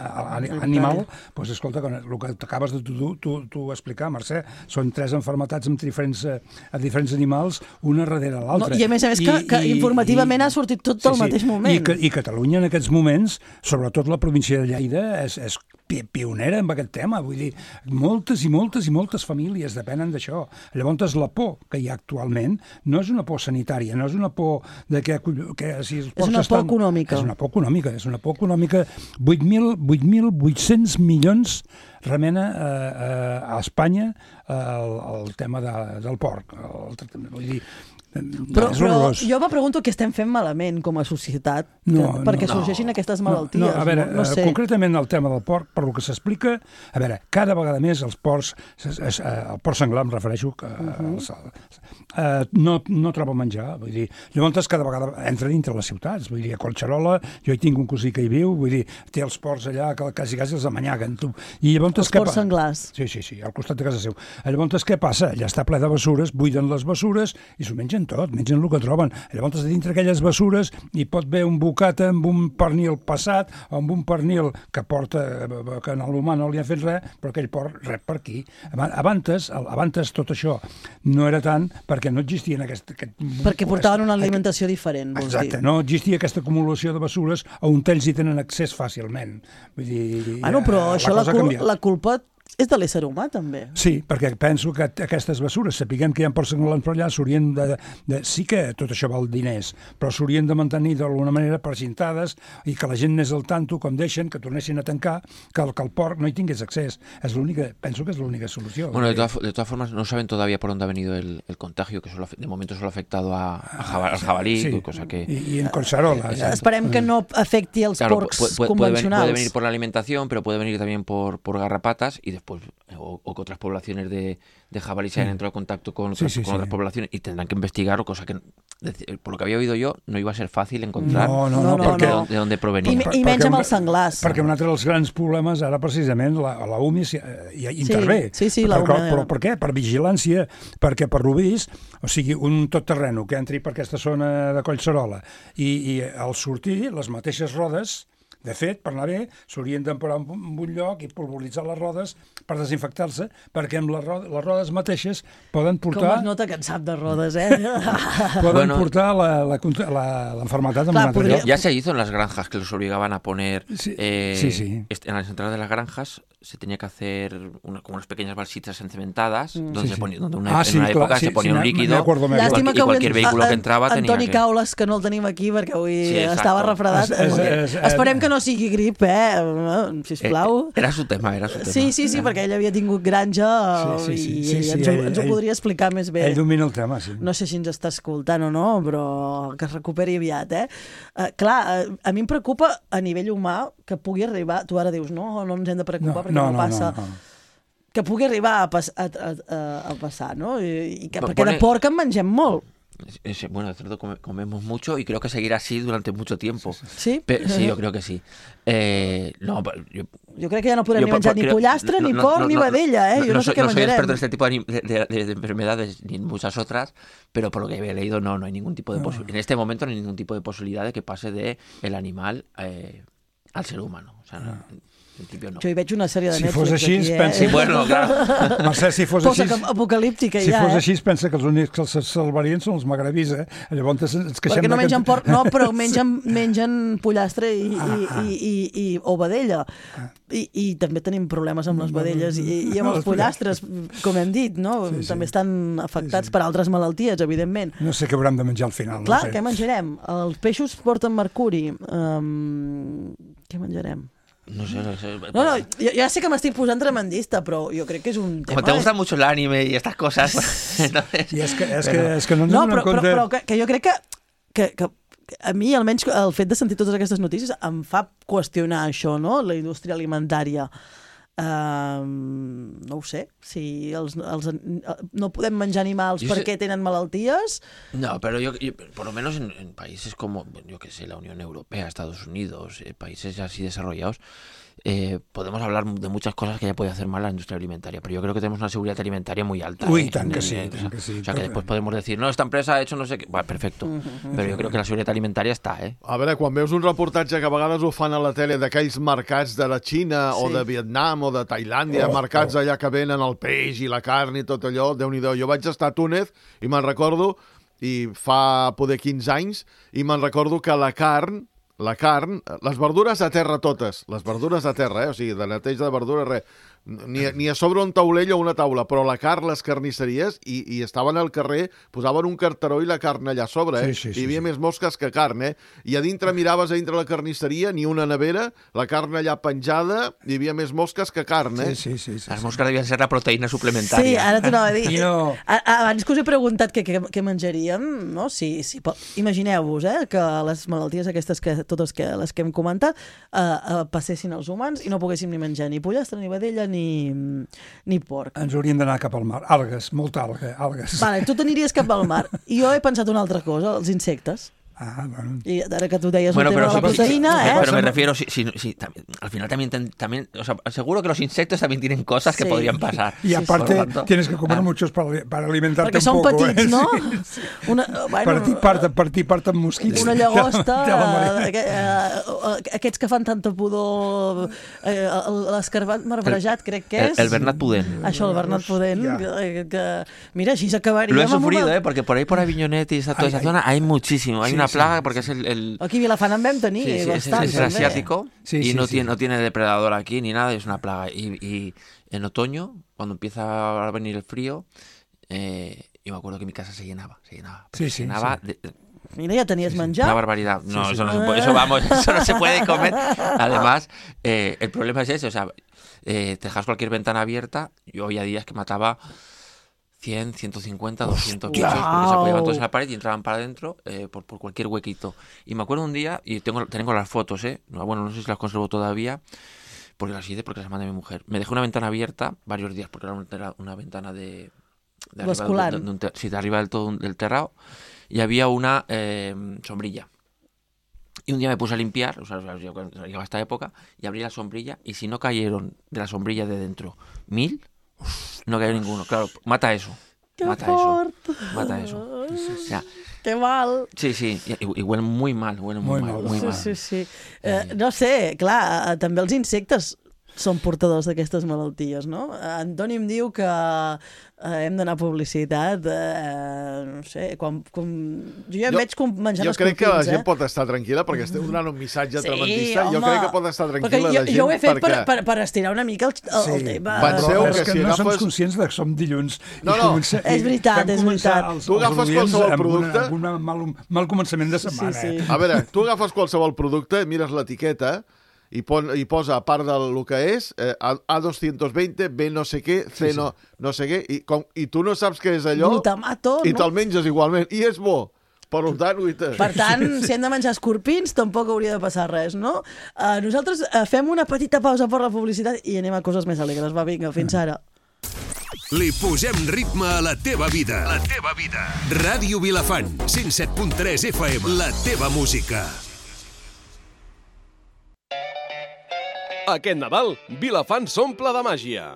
animal, doncs escolta, el que t'acabes de tu, tu, tu explicar, Mercè, són tres enfermetats amb diferents, a diferents animals, una darrere l'altra. No, I a més a més que, que informativament ha sortit tot sí, al sí. mateix moment. I, que, I Catalunya en aquests moments, sobretot la província de Lleida, és, és pionera en aquest tema. Vull dir, moltes i moltes i moltes famílies depenen d'això. Llavors, la por que hi ha actualment no és una por sanitària, no és una por de que... que si els és una por estan... econòmica. És una por econòmica, és una por econòmica. vuit mil vuit-cents milions remena eh, a Espanya el, el tema de, del porc. El, vull dir, Però, però jo me pregunto què estem fent malament com a societat no, que, perquè no, sorgeixin aquestes no, malalties. No, a veure, no, no sé. concretament el tema del porc, per lo que s'explica, a veure, cada vegada més els porcs, el porc senglar em refereixo, que uh -huh. els, eh, no, no troba menjar, vull dir, llavors cada vegada entra dintre les ciutats, vull dir, a Collserola, jo hi tinc un cosí que hi viu, vull dir, té els porcs allà que quasi quasi els amanyaguen, tu. I llavors, els porcs senglars. Sí, sí, sí, al costat de casa seu. Llavors què passa? Ja està ple de bessures, buiden les bessures i s'ho mengen mengen tot, mengen el que troben. Llavors, dintre aquelles bessures hi pot haver un bocata amb un pernil passat o amb un pernil que porta, que en l'humà no li ha fet res, però que ell port rep per aquí. Abans, abans tot això no era tant perquè no existien aquest... aquest perquè portaven una alimentació diferent, vols dir. Exacte, no existia aquesta acumulació de bessures on ells hi tenen accés fàcilment. Vull dir, ah, no, però això la, cul la culpa és de l'ésser humà, també. Sí, perquè penso que aquestes bessures, sapiguem que hi ha porcs angolans per allà, s'haurien de, de... Sí que tot això val diners, però s'haurien de mantenir d'alguna manera precintades i que la gent n'és al tanto, com deixen, que tornessin a tancar, que el, que el porc no hi tingués accés. És l'única, penso que és l'única solució. Bueno, de todas, de todas formas, no saben todavía por dónde ha venido el, el contagio, que solo, de momento solo ha afectado a, a jabal, al jabalí, sí, cosa que... I, i en Collserola. Eh, esperem que no afecti els claro, porcs puede, puede, convencionals. Puede venir por la alimentación, pero puede venir también por, por garrapatas y después... O, o que otras poblaciones de, de jabalí se hayan entrado en contacto con, otras, sí, sí, con otras sí. poblaciones y tendrán que investigar, o cosa que, por lo que había oído yo, no iba a ser fàcil encontrar no, no, no, no, perquè, no. de, de on provenia. I, i menys amb els senglars. Perquè un altre dels grans problemes, ara precisament, la, la U M I hi, hi intervé. Sí, sí, sí, la U M I. Però, però per què? Per vigilància, perquè per lo vist, o sigui, un tot terreno que entri per aquesta zona de Collserola i, i al sortir, les mateixes rodes... De fet, per anar bé, s'haurien d'emparar en un lloc i polvoritzar les rodes per desinfectar-se, perquè amb les rodes, les rodes mateixes poden portar... Com es nota que en sap de rodes, eh? poden bueno, portar l'enfermetat en un altre lloc. Ya se hizo en las granjas, que los obligaban a poner... Sí, eh, sí, sí. En las entradas de las granjas se tenía que hacer una, como unas pequeñas balsitas encementadas, mm. donde, sí, se sí. ponía, donde una, ah, en sí, una època clar, se sí, ponía sí, un líquido acuerdo, y, cual, y cualquier vehículo que entraba Antoni tenía que... Caules, que no el tenim aquí perquè avui sí, estava refredat. Es, es, es, es, Esperem que no sigui grip, eh? Sisplau. Era su tema, era su tema. Sí, sí, sí, perquè ell havia tingut granja sí, sí, sí, i sí, sí, ens, ho, ell, ens ho podria explicar més bé. Ell domina el tema, sí. No sé si ens està escoltant o no, però que es recuperi aviat, eh? Uh, clar, uh, a mi em preocupa a nivell humà que pugui arribar... Tu ara dius, no, no ens hem de preocupar no, perquè no, no passa... No, no. Que pugui arribar a, pas, a, a, a, a passar, no? I, i que, perquè de porc en mengem molt. Bueno, de cerdo comemos mucho y creo que seguirá así durante mucho tiempo. ¿Sí? Pe sí, yo creo que sí. Eh, no, yo, yo creo que ya no podrem ni menjar ni pollastre, no, ni porc, no, ni vedella, ¿eh? Yo no, no sé qué no menjarem. No soy experto en este tipo de, de, de, de enfermedades ni en muchas otras, pero por lo que he leído no, no hay ningún tipo de posibilidad. En este momento no hay ningún tipo de posibilidad de que pase de el animal eh, al ser humano. O sea, no. En principio no. Jo hi veig una sèrie de si Netflix fos així, aquí, eh? pensa... Sí, bueno, clar. Mercè, si fos Posa així... apocalíptica, si ja, fos eh? així, pensa que els únics que els salvarien són els magrebis, eh? Llavors ens queixem... Perquè no mengen que... porc, no, però mengen, mengen pollastre i, ah, i, i, i, i, o vedella. Ah. I, I també tenim problemes amb les vedelles i, i amb els pollastres, com hem dit, no? Sí, sí. També estan afectats sí, sí. per altres malalties, evidentment. No sé què haurem de menjar al final. Clar, no sé. Què menjarem? Els peixos porten mercuri. Um, què menjarem? No sé, no sé. No, no, ja, ja sé que m'estic posant tremendista, però jo crec que és un tema... Como te gusta mucho el anime y estas cosas... Entonces... I és que, és que, és que no ens no, donem però, compte... però, però que, que jo crec que, que, que a mi, almenys, el fet de sentir totes aquestes notícies em fa qüestionar això, no?, la indústria alimentària. Uh, no ho sé, si els, els, no podem menjar animals yo perquè sé... tenen malalties. No, pero yo, yo por lo menos en, en países como, yo que sé, la Unión Europea, Estados Unidos, eh, países así desarrollados, eh, podemos hablar de muchas cosas que ya puede hacer mal la industria alimentaria, pero yo creo que tenemos una seguridad alimentaria muy alta. Uy, eh, tan que en, sí, en, tan o que sí. O sea, que después podemos decir, no, esta empresa ha hecho no sé qué... Bueno, perfecto, uh -huh. Però jo crec que la seguretat alimentària està, eh? A veure, quan veus un reportatge que a vegades ho fan a la tele d'aquells mercats de la Xina sí. o de Vietnam o de Tailàndia, oh, mercats oh. allà que venen el peix i la carn i tot allò, Déu-n'hi-do. Jo vaig estar a Túnez i me'n recordo, i fa poder quinze anys, i me'n recordo que la carn, la carn, les verdures a terra totes, les verdures a terra, eh? O sigui, de neteja de verdures, res. Ni, ni a sobre un taulell o una taula, però la carn, les carnisseries, i, i estaven al carrer, posaven un carteró i la carn allà a sobre, eh? Sí, sí, sí, hi havia sí. més mosques que carn, eh? I a dintre miraves a dintre la carnisseria, ni una nevera, la carn allà penjada, hi havia més mosques que carn, eh? Sí, sí, sí. sí Les sí. mosques devien ser la proteïna suplementària. Sí, ara t'ho anava a dir. No. Abans que us he preguntat què, què, què menjaríem, no? Si, si, imagineu-vos eh, que les malalties aquestes, que totes que, les que hem comentat, eh, eh, passessin als humans i no poguéssim ni menjar ni pollastre, ni vedella, ni... ni porc. Ens hauríem d'anar cap al mar. Algues, molta alga, algues. Vale, tu t'aniries cap al mar. I jo he pensat una altra cosa, els insectes. Ah, bueno. I ara que tu deies Bueno, el tema pero de la sí, proteïna, sí, eh? pero me refiero, sí, sí, sí, también, al final también, también, o sea, seguro que los insectos también tienen cosas que Sí. podrían pasar. Y aparte, Por lo tanto, tienes que comer ah, muchos para, para alimentarte Perquè un són poco. petits, eh? no? Sí. Una, bueno, Per ti part, per ti part amb mosquits. una llagosta, Te la mare- eh, eh, aquests que fan tanta pudor, eh, l'escarbat marbrejat, crec que el, és. el Bernat Pudent. Això, el Bernat Pudent, Ja. que, que, mira, així s'acabaria. Lo he sufrido, ¿eh? Porque por ahí, por Aviñonet y esa, toda Ay, esa ay. zona, hay muchísimo. Hay Sí, una sí, plaga sí, porque es el... el Aquí a Vilafant en vam tenir sí, sí, es, bastant. es el també. asiático Sí, y sí, no, sí. Tiene, no tiene depredador aquí ni nada, es una plaga. Y, y en otoño, cuando empieza a venir el frío, eh, yo me acuerdo que mi casa se llenaba, se llenaba. Sí, se sí, llenaba sí. de- de- Mira, ja tenies una menjar. barbaridad. No, Sí, sí. Eso, no se puede, eso vamos, eso no se puede comer. Además, eh, el problema es ese, o sea, eh, te dejas cualquier ventana abierta. Yo había días que mataba cien, ciento cincuenta, doscientos bichos, porque se apoyaban todos en la pared y entraban para adentro eh, por, por cualquier huequito. Y me acuerdo un día, y tengo, tengo las fotos, ¿eh? No, bueno, no sé si las conservo todavía, porque las hice porque las mandé a mi mujer. Me dejé una ventana abierta varios días, porque era una, era una ventana de... de arriba, Bascular. de, de un ter- sí, de arriba del todo un- del terrado, y había una eh, sombrilla. Y un día me puse a limpiar, o sea, yo cuando llegaba esta época, y abrí la sombrilla, y si no cayeron de la sombrilla de dentro mil, no cayó ninguno. Claro, mata eso. Que mata fort. eso. Mata eso. O sea, Que mal. sí, sí, y, y huelen muy mal, huelen muy, Muy mal, mal. muy Sí, mal. sí, sí. Eh, no sé, clar, eh, també els insectes són portadors d'aquestes malalties, no? Antoni em diu que eh, hem d'anar a publicitat, eh, no sé, quan, com... jo ja em Jo- veig com menjant Jo crec que la escorpins, gent eh? pot estar tranquil·la perquè esteu donant un missatge Sí, tremendista. Jo home. crec que pot estar Perquè tranquil·la jo, la gent jo ho he fet perquè... per, per, per estirar una mica el, el, el tema. Penseu Però que és que si no som agafes- conscients de que som dilluns. No, i no. comença- És veritat, vam és començar veritat. els- Tu els agafes oients qualsevol amb producte- Una, amb una mal, mal començament de setmana. Sí, sí. Eh? A veure, tu agafes qualsevol producte, mires l'etiqueta i, pon, i posa, a part del que és, eh, A doscientos veinte, B no sé què, C no, no sé què, i, com, i tu no saps què és allò, Glutamato, i no? te'l menges igualment, i és bo. Per tant, uita. Per tant, si hem de menjar escorpins, tampoc hauria de passar res, no? Uh, nosaltres uh, fem una petita pausa per la publicitat i anem a coses més alegres. Va, vinga, fins ara. Li posem ritme a la teva vida. La teva vida. Ràdio Vilafant, cent set punt tres F M. La teva música. Aquest Nadal, Vilafant s'omple de màgia.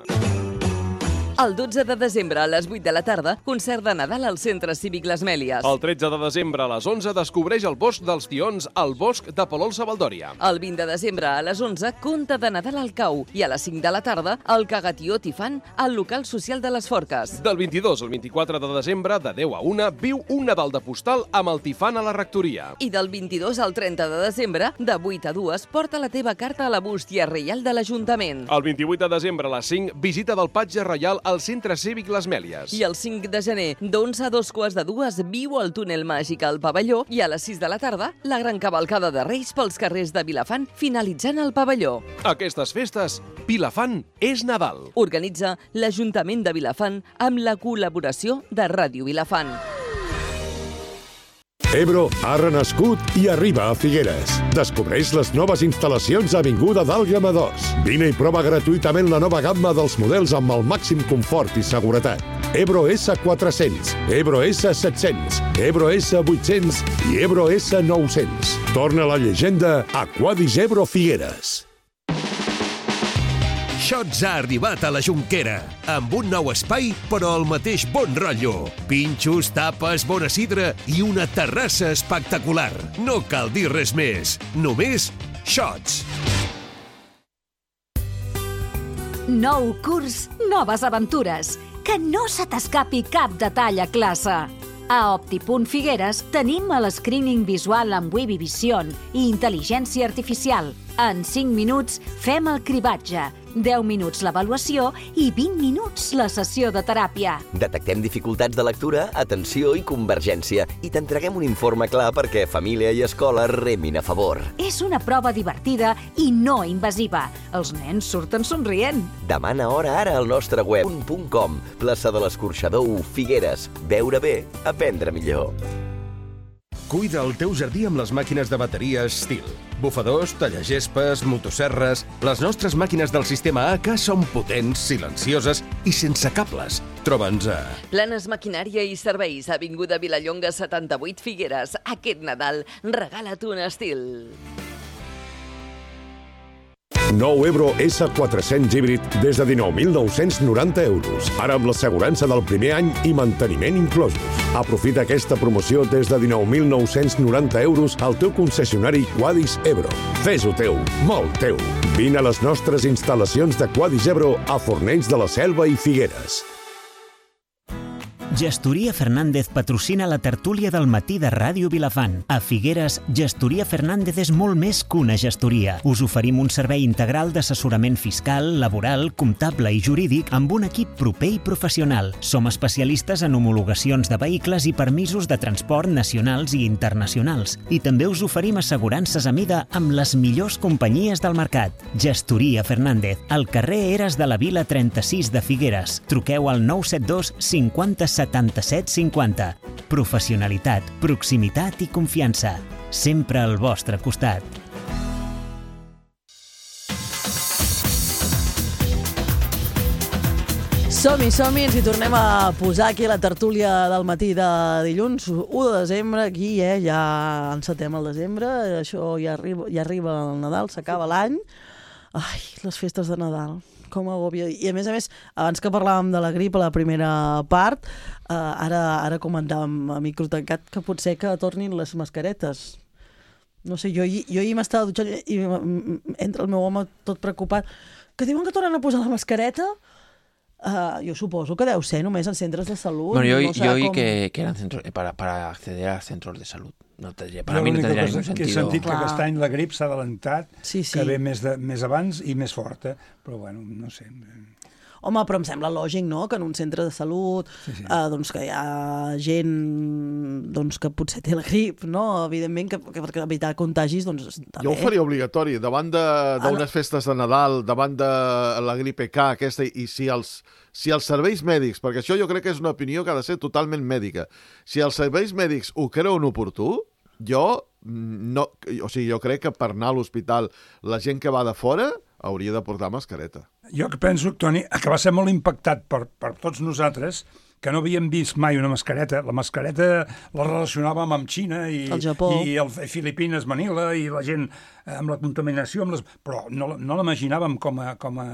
El dotze de desembre a les vuit de la tarda, concert de Nadal al Centre Cívic Les Mèlies. El tretze de desembre a les onze descobreix el bosc dels tions al bosc de Palol Savaldòria. El vint de desembre a les onze, conte de Nadal al Cau. I a les cinc de la tarda, el Cagatió Tifant al local social de les Forques. Del vint-i-dos al vint-i-quatre de desembre, de deu a una, viu un Nadal de postal amb el Tifant a la rectoria. I del vint-i-dos al trenta de desembre, de vuit a dues, porta la teva carta a la bústia reial de l'Ajuntament. El vint-i-vuit de desembre a les cinc, visita del Patge Reial al Centre Cívic Les Mèlies. I el cinc de gener, d'onze a dos quarts de dues, viu el túnel màgic al pavelló i a les sis de la tarda, la gran cavalcada de Reis pels carrers de Vilafant, finalitzant el pavelló. Aquestes festes, Vilafant és Nadal. Organitza l'Ajuntament de Vilafant amb la col·laboració de Ràdio Vilafant. Ebro ha renascut i arriba a Figueres. Descobreix les noves instal·lacions a Avinguda d'Àlgama dos. Vine i prova gratuïtament la nova gamma dels models amb el màxim confort i seguretat. Ebro S quatre-cents, Ebro S set-cents, Ebro S vuit-cents i Ebro S nou-cents. Torna la llegenda Aquadis Ebro Figueres. Shots ha arribat a la Jonquera, amb un nou espai, però el mateix bon rotllo. Pinxos, tapes, bona sidra i una terrassa espectacular. No cal dir res més, només Shots. Nou curs, noves aventures. Que no se t'escapi cap detall a classe. A Optipunt Figueres tenim el screening visual amb Webby Vision i intel·ligència artificial. En cinc minuts fem el cribatge, deu minuts l'avaluació i vint minuts la sessió de teràpia. Detectem dificultats de lectura, atenció i convergència i t'entreguem un informe clar perquè família i escola remin a favor. És una prova divertida i no invasiva. Els nens surten somrient. Demana hora ara al nostre web punt punt com, plaça de l'Escorxador u, Figueres. Veure bé, aprendre millor. Cuida el teu jardí amb les màquines de bateria Stihl. Bufadors, tallagespes, motosserres... Les nostres màquines del sistema A K són potents, silencioses i sense cables. Troba'ns a... Planes Maquinària i Serveis, avinguda Vilallonga setanta-vuit Figueres. Aquest Nadal, regala't un estil. Nou Ebro essa quatre-cents híbrid des de dinou mil nou-cents noranta euros. Ara amb l'assegurança del primer any i manteniment inclosos. Aprofita aquesta promoció des de dinou mil nou-cents noranta euros al teu concessionari Quadis Ebro. Fes-ho teu, molt teu. Vine a les nostres instal·lacions de Quadis Ebro a Fornells de la Selva i Figueres. Gestoria Fernández patrocina la tertúlia del matí de Ràdio Vilafant. A Figueres, Gestoria Fernández és molt més que una gestoria. Us oferim un servei integral d'assessorament fiscal, laboral, comptable i jurídic amb un equip proper i professional. Som especialistes en homologacions de vehicles i permisos de transport nacionals i internacionals. I també us oferim assegurances a mida amb les millors companyies del mercat. Gestoria Fernández, al carrer Eres de la Vila trenta-sis de Figueres. Truqueu al nou set dos cinquanta setanta-set cinquanta. Professionalitat, proximitat i confiança. Sempre al vostre costat. Som-hi, som-hi, ens hi tornem a posar aquí a la tertúlia del matí de dilluns, u de desembre, aquí, eh, ja encetem el desembre, això ja arriba, ja arriba el Nadal, s'acaba l'any. Ai, les festes de Nadal, com agòbia. I a més a més, abans que parlàvem de la grip a la primera part, eh, ara, ara comentàvem a micro tancat que potser que tornin les mascaretes. No sé, jo, jo ahir m'estava dutxant i entra el meu home tot preocupat, que diuen que tornen a posar la mascareta. Uh, jo suposo que deu ser només en centres de salut. Bueno, yo, no yo oí com... que, que eran centros, para, para acceder a centros de salud. No tendría, para jo mí no tendría ningún que sentido. he sentit que aquest any la grip s'ha adelantat, sí, sí. que ve més, de, més abans i més forta, però bueno, no sé. Home, però em sembla lògic, no?, que en un centre de salut sí, sí. Eh, doncs que hi ha gent doncs, que potser té la grip, no? Evidentment que, que per evitar contagis, doncs també. Jo ho faria obligatori, davant d'unes ah, no. festes de Nadal, davant de la grip K aquesta, i si els, si els serveis mèdics, perquè això jo crec que és una opinió que ha de ser totalment mèdica, si els serveis mèdics ho creuen oportú, jo, no, o sigui, jo crec que per anar a l'hospital la gent que va de fora hauria de portar mascareta. Jo que penso, Toni, que va ser molt impactat per, per tots nosaltres, que no havíem vist mai una mascareta. La mascareta la relacionàvem amb Xina i, el Japó. i el Filipines, Manila, i la gent amb la contaminació, amb les... però no, no l'imaginàvem com a... Com a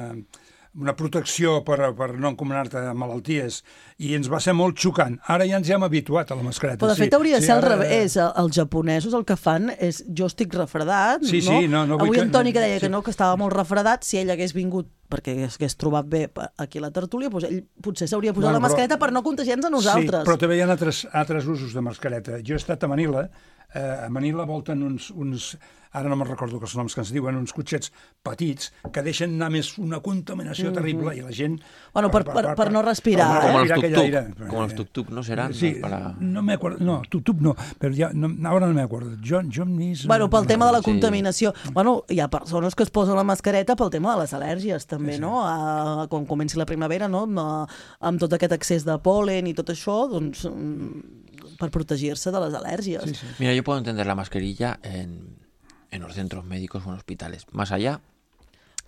una protecció per, per no encomanar-te malalties, i ens va ser molt xocant. Ara ja ens hem habituat a la mascareta. Però de fet sí, hauria de sí, ser al ara... revés. Els japonesos el que fan és jo estic refredat, sí, no? Sí, no, no Avui que... en Toni que deia sí. que no, que estava molt refredat, si ell hagués vingut perquè hagués trobat bé aquí a la tertúlia, doncs ell potser s'hauria posat bueno, la mascareta però... per no contagiar-nos a nosaltres. Sí, però també hi ha altres, altres usos de mascareta. Jo he estat a Manila, eh, a Manila volten uns... uns ara no me'n recordo els noms que ens diuen, uns cotxets petits que deixen anar més una contaminació mm-hmm. terrible i la gent... Bueno, per, per, per, per no respirar. Com eh? els tuk-tuk, com els tuk-tuk, ¿no serán? Sí, para... no me acuerdo, no, tuk-tuk no, però ja, no, ara no me acuerdo. John, John Nis... Bueno, pel tema de la contaminació. Sí. Bueno, hi ha persones que es posen la mascareta pel tema de les al·lèrgies, també, sí, sí. no? A, quan comenci la primavera, no? Amb, amb tot aquest excés de pol·len i tot això, doncs, per protegir-se de les al·lèrgies. Sí, sí. Mira, yo puedo entender la mascarilla en... en los centros médicos o en hospitales. Más allá,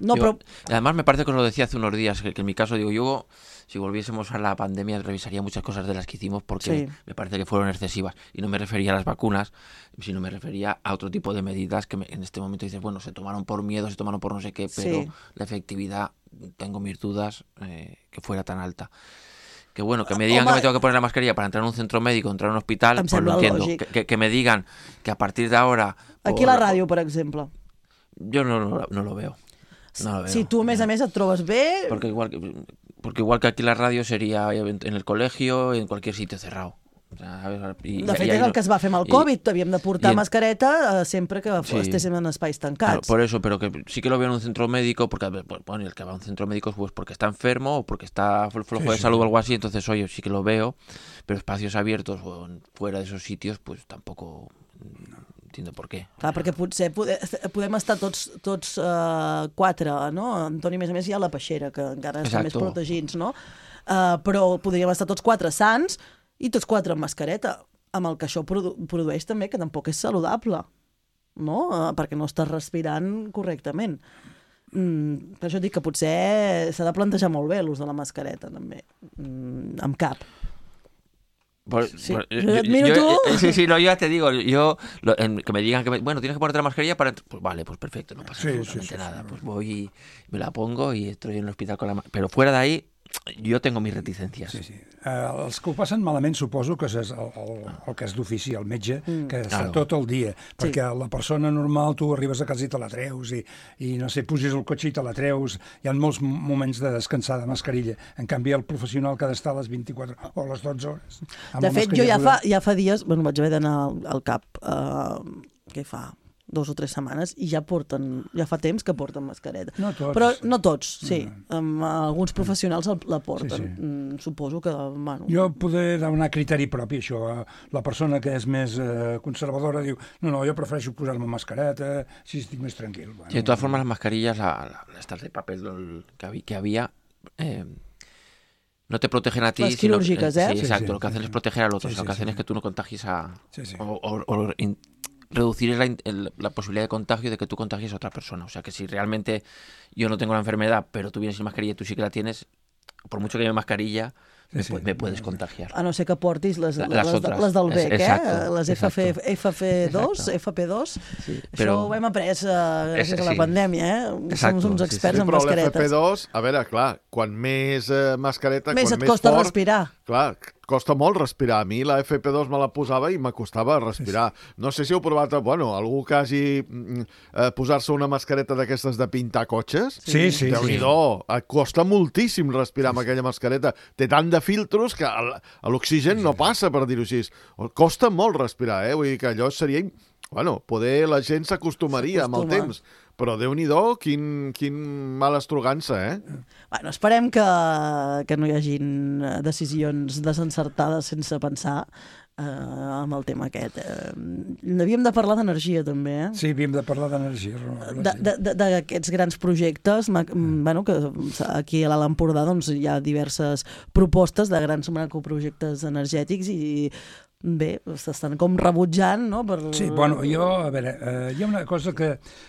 no, digo, pero... además me parece que os lo decía hace unos días, que, que en mi caso, digo, yo, si volviésemos a la pandemia, revisaría muchas cosas de las que hicimos porque sí. me parece que fueron excesivas. Y no me refería a las vacunas, sino me refería a otro tipo de medidas que me, en este momento dices, bueno, se tomaron por miedo, se tomaron por no sé qué, pero sí. la efectividad, tengo mis dudas eh, que fuera tan alta. Que bueno, que me digan Home, que me tengo que poner la mascarilla para entrar en un centro médico, entrar en un hospital, pues lo entiendo. Que, que, que me digan que a partir de ahora... Aquí a la ràdio, per exemple. Yo no, no, no lo veo. No lo veo. Si tu, a més a més, et trobes bé... Porque igual, que, porque igual que aquí la radio sería en el colegio, en cualquier sitio cerrado. O sea, ¿sabes? Y, de fet, y és el que es va fer amb el Covid. Y, havíem de portar en, mascareta eh, sempre que sí. estéssim en espais tancats. Claro, por eso, pero que sí que lo veo en un centro médico, porque bueno, el que va a un centro médico pues porque está enfermo o porque está flojo sí, de sí. salud o algo así, entonces, oye, sí que lo veo, pero espacios abiertos o fuera de esos sitios, pues tampoco... No entiendo per què. Clar, perquè potser podem estar tots, tots uh, quatre, no? Antoni, a més a més, hi ha la peixera, que encara està més protegits, no? Uh, però podríem estar tots quatre sants i tots quatre amb mascareta, amb el que això produ produeix també, que tampoc és saludable, no? Uh, perquè no estàs respirant correctament. Mm, per això dic que potser s'ha de plantejar molt bé l'ús de la mascareta, també, mm, amb cap. Pues, sí. pues, yo, yo, yo, yo, sí, sí, no, yo ya te digo, yo lo, en, que me digan que, me, bueno, tienes que ponerte la mascarilla para... Pues vale, pues perfecto, no pasa sí, absolutamente sí, sí, nada. Sí, pues voy y me la pongo y estoy en el hospital con la... Pero fuera de ahí, jo tengo mis reticències. Sí, sí. Uh, els que ho passen malament suposo que és el, el, el que és d'ofici, el metge, mm. que està claro. tot el dia, perquè sí. la persona normal tu arribes a casa i te la treus i, i no sé, puges al cotxe i te la treus, hi ha molts moments de descansar de mascarilla, en canvi el professional que ha d'estar a les vint-i-quatre o a les dotze hores. De fet, jo ja fa, ja fa dies, bueno, vaig haver d'anar al, al cap, uh, què fa? dos o tres setmanes, i ja porten, ja fa temps que porten mascareta. No tots. Però no tots, sí. Um, alguns professionals la porten. Sí, sí. Mm, suposo que... Bueno... Jo poder donar criteri propi, això. La persona que és més eh, conservadora diu, no, no, jo prefereixo posar-me mascareta, així estic més tranquil. Bueno, sí, de todas formas, las mascarillas, la, la, estas de papel que, que había... Eh, no te protegen a ti. Las quirúrgicas, sino, ¿eh? Sí, exacto. Sí, sí, lo que hacen sí. es proteger al otro. Sí, o sea, lo que sí, hacen sí. es que tú no contagies a... Sí, sí. O, o, o in, reducir la, el, la posibilidad de contagio de que tú contagies a otra persona. O sea, que si realmente yo no tengo la enfermedad, pero tú vienes sin mascarilla y tú sí que la tienes, por mucho que lleve mascarilla, me, sí, me puedes contagiar. A no ser que portis les, les, les, les, les del B E C, exacto, eh? Les F F, F F dos, exacto. F P dos. Sí, però... Això ho hem après uh, gràcies és, a la sí. pandèmia, eh? Som uns experts sí, sí. en sí, mascaretes. Però l'F P dos, a veure, clar, quan més eh, mascareta, més quan et més costa fort... respirar. Clar, costa molt respirar. A mi la F P dos me la posava i m'acostava respirar. No sé si heu provat, bueno, algú que hagi eh, posar-se una mascareta d'aquestes de pintar cotxes. Sí, sí. Déu-n'hi-do, et costa moltíssim respirar amb aquella mascareta. Té tant de filtros que l'oxigen no passa, per dir-ho així. Costa molt respirar, eh? Vull dir que allò seria... Bueno, poder la gent s'acostumaria amb el temps. Però Déu-n'hi-do, quin, quin mala estrogança, eh? Bueno, esperem que, que no hi hagin decisions desencertades sense pensar eh, amb el tema aquest. Eh, havíem de parlar d'energia, també, eh? Sí, havíem de parlar d'energia. D'aquests grans projectes, mm. bueno, que aquí a l'Alt Empordà doncs, hi ha diverses propostes de grans macroprojectes energètics i bé, s'estan com rebutjant, no? Per... Sí, bueno, jo, a veure, eh, hi ha una cosa que,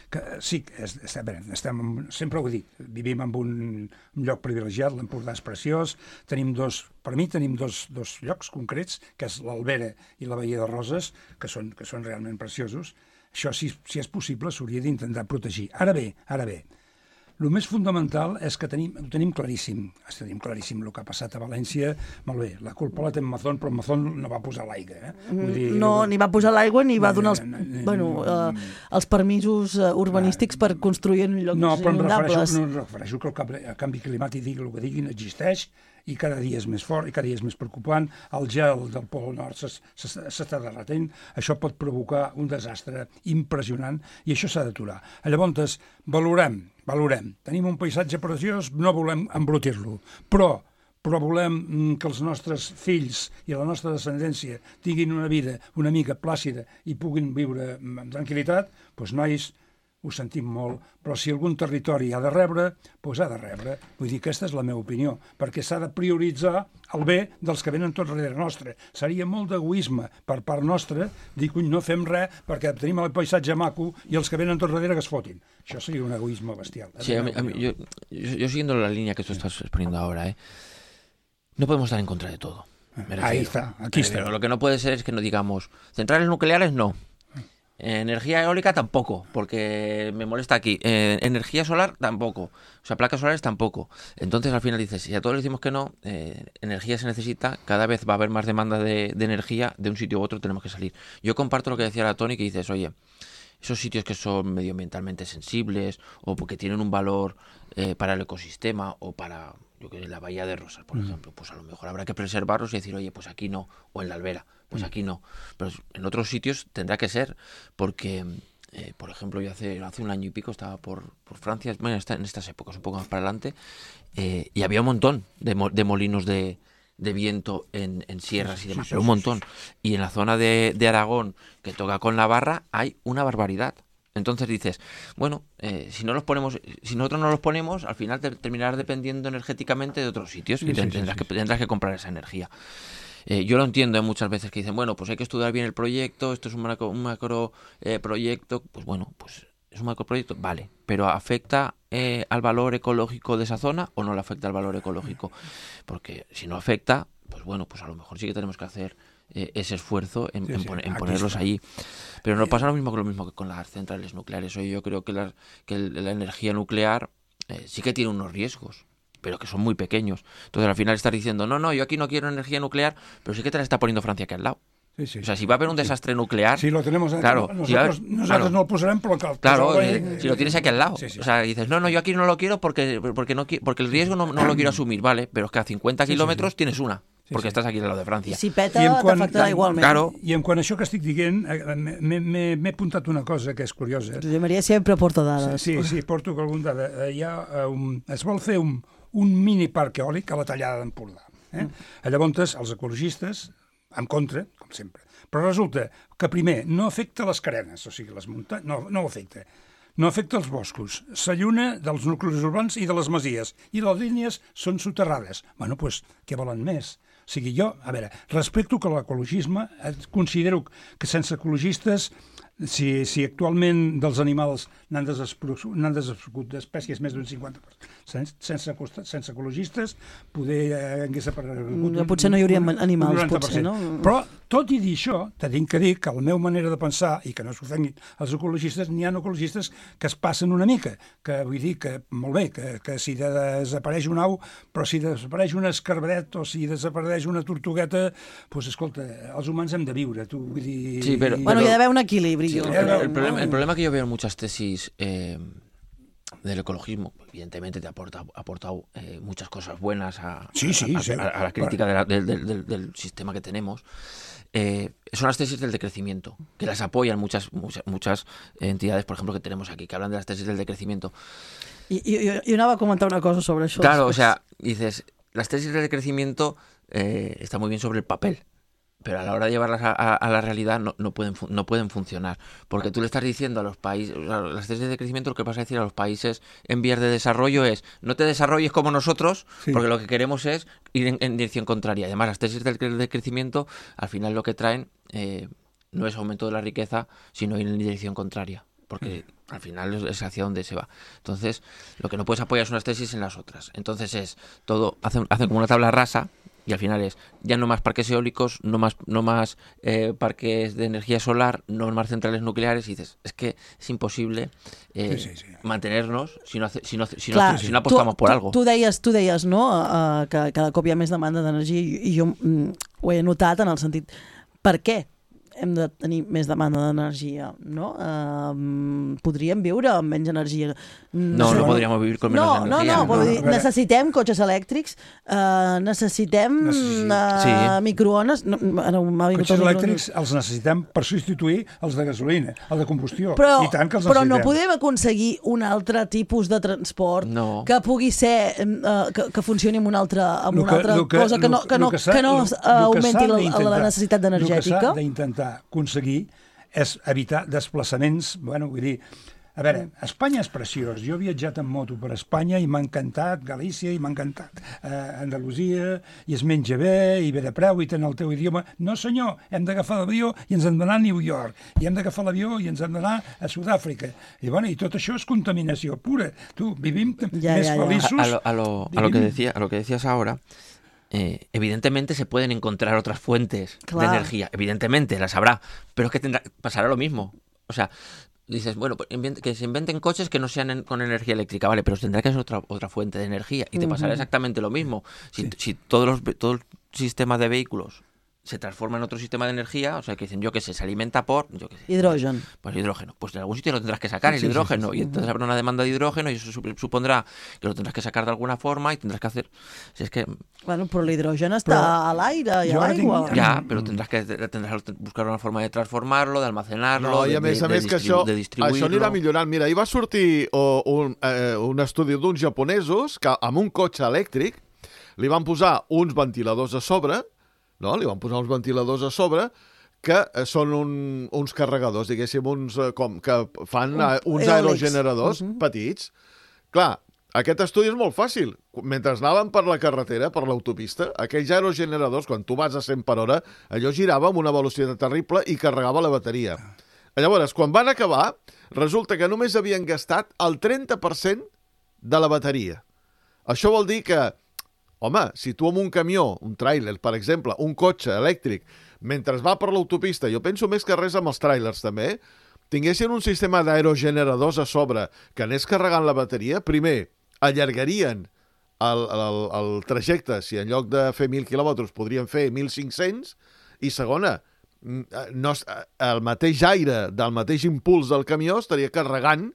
que sí, és, a veure, estem, sempre ho he dit, vivim en un, un lloc privilegiat, l'Empordà és preciós, tenim dos, per mi tenim dos, dos llocs concrets, que és l'Albera i la Badia de Roses, que són, que són realment preciosos. Això, si, si és possible, s'hauria d'intentar protegir. Ara bé, ara bé, el més fundamental és que tenim, ho tenim claríssim, tenim claríssim el que ha passat a València, molt bé, la culpa la té Mazón, però Mazón no va posar l'aigua. Eh? Vull dir, no, no, ni va posar l'aigua ni va donar els, no, no, bueno, uh, els permisos uh, urbanístics per construir en llocs no, però inundables. No, però em refereixo que el, el canvi climàtic digui el que diguin, existeix, i cada dia és més fort i cada dia és més preocupant. El gel del Pol Nord s'està derretent. Això pot provocar un desastre impressionant i això s'ha d'aturar. Llavors, valorem, valorem. Tenim un paisatge preciós, no volem embrutir-lo, però però volem que els nostres fills i la nostra descendència tinguin una vida una mica plàcida i puguin viure amb tranquil·litat, doncs nois, ho sentim molt, però si algun territori ha de rebre, doncs ha de rebre. Vull dir, aquesta és la meva opinió, perquè s'ha de prioritzar el bé dels que venen tot darrere nostre. Seria molt d'egoisme per part nostra dir que no fem res perquè tenim el paisatge maco i els que venen tot darrere que es fotin. Això seria un egoisme bestial. Sí, a mí, a mí, yo, yo siguiendo la línea que tú estás exponiendo ahora, ¿eh? No podemos estar en contra de todo. Ahí está, aquí está. Pero lo que no puede ser es que no digamos, centrales nucleares no. Energía eólica tampoco, porque me molesta aquí. Eh, energía solar tampoco. O sea, placas solares tampoco. Entonces al final dices, si a todos les decimos que no, eh, energía se necesita, cada vez va a haber más demanda de, de energía, de un sitio u otro tenemos que salir. Yo comparto lo que decía la Tony, que dices, oye, esos sitios que son medioambientalmente sensibles o porque tienen un valor eh, para el ecosistema o para, yo que sé, la Bahía de Rosas, por mm. ejemplo, pues a lo mejor habrá que preservarlos y decir, oye, pues aquí no, o en la Albera. Pues aquí no, pero en otros sitios tendrá que ser, porque, eh, por ejemplo, yo hace, hace un año y pico estaba por, por Francia, bueno, en estas épocas, un poco más para adelante, eh, y había un montón de, mo de molinos de, de viento en, en sierras y demás, sí, sí, pero un montón. Y en la zona de, de Aragón, que toca con Navarra, hay una barbaridad. Entonces dices, bueno, eh, si no los ponemos, si nosotros no los ponemos, al final te terminarás dependiendo energéticamente de otros sitios, sí, y te, sí, tendrás, sí, que, tendrás que comprar esa energía. Eh, yo lo entiendo, ¿eh? Muchas veces que dicen, bueno, pues hay que estudiar bien el proyecto, esto es un macro, un macro eh, proyecto, pues bueno, pues es un macroproyecto, vale, pero ¿afecta eh, al valor ecológico de esa zona o no le afecta al valor ecológico? Porque si no afecta, pues bueno, pues a lo mejor sí que tenemos que hacer eh, ese esfuerzo en, sí, en, sí, pon- en ponerlos está. allí. Pero no pasa lo mismo que lo mismo que con las centrales nucleares. Hoy yo creo que la, que el- la energía nuclear eh, sí que tiene unos riesgos, pero que son muy pequeños. Entonces al final estás diciendo, no, no, yo aquí no quiero energía nuclear, pero sí que te la está poniendo Francia aquí al lado. Sí, sí. O sea, si va a haber un desastre nuclear... Sí, lo tenemos... Claro, nosotros si va a haber- nosotros claro. no lo posarem, però que... Claro, que- eh, si lo tienes aquí al lado. Sí, sí. O sea, dices, no, no, yo aquí no lo quiero porque porque no qui- porque el riesgo no, no lo quiero asumir, vale, pero es que a cincuenta Sí, sí, kilómetros sí. tienes una, porque sí. estás aquí al lado de Francia. Si peta, I en quant- t'afectarà igualment. Claro. I en quant a això que estic dient, eh, m'he- m'he m'he apuntat una cosa que és curiosa. Josep Maria sempre porta dades. Sí, sí, porto algun dada. Eh, Hi ha, eh, un, es vol fer un, un mini parc eòlic a la Tallada d'Empordà. Eh? Mm. Llavors, els ecologistes, en contra, com sempre. Però resulta que, primer, no afecta les carenes, o sigui, les muntanyes, no, no ho afecta. No afecta els boscos, s'alluna dels nuclis urbans i de les masies, i les línies són soterrades. Bueno, doncs, què volen més? O sigui, jo, a veure, respecto que l'ecologisme, eh, considero que sense ecologistes, si, si actualment dels animals n'han desaparegut, n'han desaparegut d'espècies més d'un cinquanta per cent, sense, sense, sense ecologistes, poder eh, hagués aparegut... Mm, potser no hi hauria un- animals, un noranta per potser, cent. no? Però, tot i dir això, te tinc que dir que la meva manera de pensar, i que no s'ofenguin els ecologistes, n'hi ha ecologistes que es passen una mica, que vull dir que, molt bé, que, que si desapareix un au, però si desapareix un escarbaret o si desapareix una tortugueta, doncs, escolta, els humans hem de viure, tu, vull dir... Sí, però- Bueno, hi ha d'haver un equilibri. Sí, jo el, crec, el problema, no? el problema que yo veo en muchas tesis eh, del ecologismo, evidentemente te aporta, ha aportado eh, muchas cosas buenas a, Sí, sí, a, a- sí. a- a la crítica de la- del, del- del- del sistema que tenemos. Eh, son las tesis del decrecimiento, que las apoyan muchas, muchas, muchas entidades, por ejemplo, que tenemos aquí, que hablan de las tesis del decrecimiento. I, i, i anava a comentar una cosa sobre això. Claro, o després. sea, dices, las tesis del decrecimiento eh, están muy bien sobre el papel, pero a la hora de llevarlas a, a- a la realidad no, no, pueden, fu- no pueden funcionar. Porque tú le estás diciendo a los países, o sea, las tesis de crecimiento, lo que vas a decir a los países en vías de desarrollo es, no te desarrolles como nosotros, Sí. porque lo que queremos es ir en, en dirección contraria. Además, las tesis del, cre- de crecimiento, al final lo que traen eh, no es aumento de la riqueza, sino ir en dirección contraria. Porque al final es- es hacia donde se va. Entonces, lo que no puedes apoyar son unas tesis en las otras. Entonces es todo, hacen, hacen como una tabla rasa y al final es ya no más parques eólicos, no más, no más eh, parques de energía solar, no más centrales nucleares. Y dices, es que es imposible eh, Sí, sí, sí. mantenernos si no, hace- si no, hace- si no, Clar, hace- si no apostamos tu, por tu, algo. Tu deies, tu deies no? Uh, que cada cop hi ha més demanda d'energia i, i jo mm, ho he notat en el sentit, per què hem de tenir més demanda d'energia, no? Uh, podríem viure amb menys energia. No, no podríamos vivir con menos no, no, energía. no, vull dir, A veure- necessitem cotxes elèctrics, uh, necessitem Necessi- uh, Sí. microones... No, ara m'ha vingut Cotxes el microones. elèctrics els necessitem per substituir els de gasolina, el de combustió. Però, I tant que els però no necessitem. podem aconseguir un altre tipus de transport No. que pugui ser uh, que, que funcioni amb una altra, amb Lo una altra lo cosa que no, que no, lo s'ha- que no lo- uh, lo que augmenti s'ha la, d'intentar- la necessitat El que energètica. s'ha d'intentar aconseguir és evitar desplaçaments, bueno, vull dir, a veure, Espanya és preciós. Jo he viatjat en moto per Espanya i m'ha encantat Galícia i m'ha encantat eh, Andalusia, i es menja bé, i bé de preu, i tenen el teu idioma. No, senyor, hem d'agafar l'avió i ens hem d'anar a New York, i hem d'agafar l'avió i ens hem d'anar a Sud-àfrica. I, bueno, i tot això és contaminació pura. Tu, vivim Ja, més ja, ja. feliços... A, a lo, a, lo, a lo que vivim- decía, a lo que decías ahora, eh, evidentemente se pueden encontrar otras fuentes Claro. de energía, evidentemente las habrá, pero es que tendrá, pasará lo mismo. O sea, dices, bueno, pues invent- que se inventen coches que no sean en- con energía eléctrica, vale, pero tendrá que ser otra otra fuente de energía y te pasará exactamente lo mismo. Si, Sí. si todos los ve- todo el sistema de vehículos se transforma en otro sistema de energía, o sea, que dicen, yo qué sé, se alimenta por, yo qué sé, Hidrogen. pues hidrógeno. Pues de algún sitio lo tendrás que sacar, el Sí, sí, hidrógeno. sí, sí. Y entonces habrá una demanda de hidrógeno y eso sup- supondrá que lo tendrás que sacar de alguna forma y tendrás que hacer... Si es que Bueno, però l'hidrogen està Però a l'aire i jo a ara tinc- l'aigua. ya, pero tendrás que tendrás que buscar una forma de transformarlo, de almacenarlo, No, i de, a més de- a de més que distribu- això, de distribuirlo. això anirà millorant. Mira, ahir va sortir oh, un, eh, un estudi d'uns japonesos que amb un cotxe elèctric li van posar uns ventiladors a sobre, no? Li van posar uns ventiladors a sobre que eh, són un, uns carregadors, diguéssim, uns, eh, com, que fan eh, uns Eòlics. aerogeneradors Mhm. petits. Clar, aquest estudi és molt fàcil. Mentre anaven per la carretera, per l'autopista, aquells aerogeneradors, quan tu vas a cent per hora, allò girava amb una velocitat terrible i carregava la bateria. Llavors, quan van acabar, resulta que només havien gastat el trenta per cent de la bateria. Això vol dir que, home, si tu amb un camió, un tràiler, per exemple, un cotxe elèctric, mentre va per l'autopista, jo penso més que res amb els tràilers també, tinguessin un sistema d'aerogeneradors a sobre que anés carregant la bateria, primer, allargarien el, el, el trajecte, si en lloc de fer mil quilòmetres podrien fer mil cinc-cents, i segona, no, el mateix aire del mateix impuls del camió estaria carregant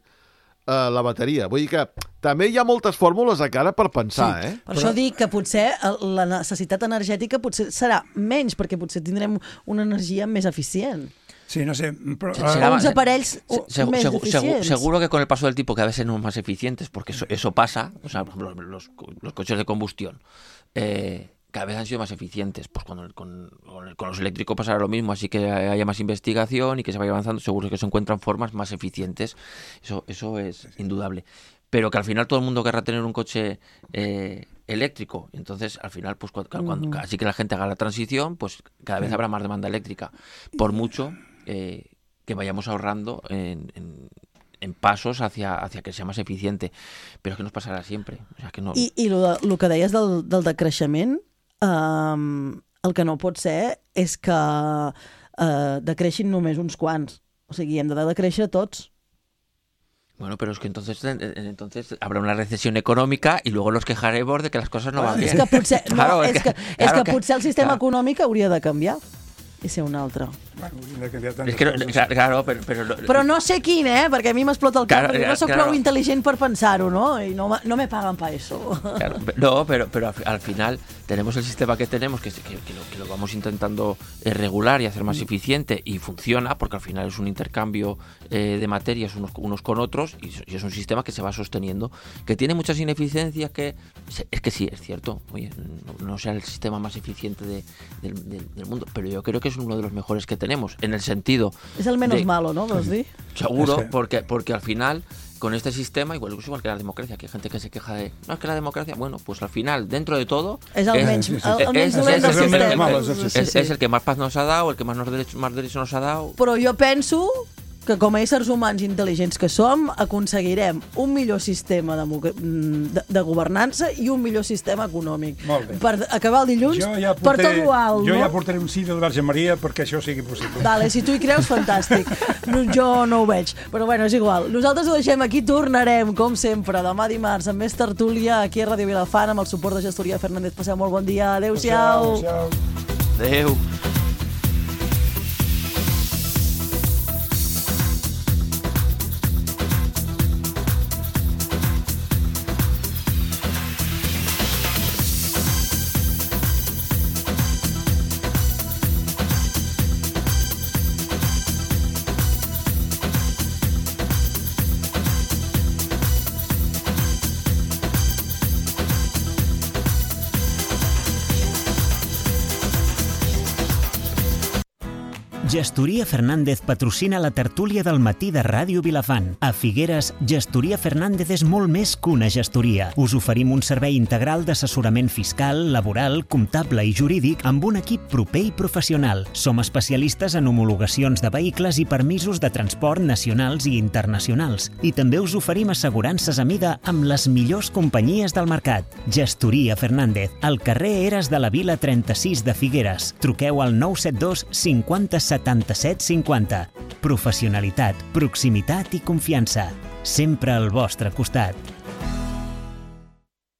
Uh, la bateria. Vull dir que també hi ha moltes fórmules a cara per pensar, sí, eh? Per Però... això dic que potser la necessitat energètica potser serà menys, perquè potser tindrem una energia més eficient. Sí, no sé, però... Será, uns aparells se, se, més se, eficients. Se, seguro que con el paso del tiempo cada vez serán más eficientes, porque eso, eso pasa, o sea, por ejemplo, los, los coches de combustión, eh, cada vez han sido más eficientes. Pues con, el, con, con, el, con los eléctricos pasará lo mismo, así que haya más investigación y que se vaya avanzando, seguro que se encuentran formas más eficientes, eso, eso es indudable. Pero que al final todo el mundo querrá tener un coche eh, eléctrico, entonces al final, pues cuando, cuando, uh-huh. así que la gente haga la transición, pues cada vez habrá más demanda eléctrica, por mucho eh, que vayamos ahorrando en... en en pasos hacia, hacia que sea más eficiente, pero es que nos pasarà sempre. O sea, que no... I, i lo, lo que deies del, del decreixement, um, el que no pot ser és que uh, decreixin només uns quants. O sigui, hem de decréixer tots. Bueno, pero es que entonces, entonces habrá una recesión económica y luego nos quejaremos de que las cosas no van bien. És que potser, no, claro, és que, és claro, que potser el sistema claro. econòmic hauria de canviar i ser un altre. Bueno, de canviar es que no, claro, pero, pero, però no sé quin, eh? Perquè a mi m'explota el cap, claro, perquè no soc claro. prou intel·ligent per pensar-ho, no? I no, no me pagan para eso. Claro, no, pero, pero al, al final tenemos el sistema que tenemos, que, que, que, lo, que lo vamos intentando regular y hacer más eficiente, y funciona, porque al final es un intercambio eh, de materias unos, unos con otros, y, y es un sistema que se va sosteniendo, que tiene muchas ineficiencias, que es que sí, es cierto, oye, no, no sea el sistema más eficiente de, de, de, del mundo, pero yo creo que es uno de los mejores que tenemos, en el sentido... Es el menos de, malo, ¿no? ¿Vos di? Seguro, es que... porque, porque al final, con este sistema, igual, igual que la democracia, que hay gente que se queja de... No, es que la democracia, bueno, pues al final, dentro de todo... Es el menys dolent del sistema. És el que més paz nos ha dado, el que més, nos derechos, más derechos nos ha dado... Però jo penso que com a éssers humans intel·ligents que som, aconseguirem un millor sistema de, de, de governança i un millor sistema econòmic. Molt bé. Per acabar el dilluns, ja portaré, per tot lo alt, jo no? ja portaré un sí de la Verge Maria perquè això sigui possible. Vale, si tu hi creus, fantàstic. No, jo no ho veig, però bueno, és igual. Nosaltres ho deixem aquí, tornarem, com sempre, demà dimarts, amb més tertúlia aquí a Ràdio Vilafant, amb el suport de Gestoria Fernández. Passeu molt bon dia. Adéu-siau. Adéu. Gestoria Fernández patrocina la tertúlia del matí de Ràdio Vilafant. A Figueres, Gestoria Fernández és molt més que una gestoria. Us oferim un servei integral d'assessorament fiscal, laboral, comptable i jurídic amb un equip proper i professional. Som especialistes en homologacions de vehicles i permisos de transport nacionals i internacionals. I també us oferim assegurances a mida amb les millors companyies del mercat. Gestoria Fernández, al carrer Eres de la Vila trenta-sis de Figueres. Truqueu al nou set dos cinquanta setanta-set cinquanta. Professionalitat, proximitat i confiança. Sempre al vostre costat.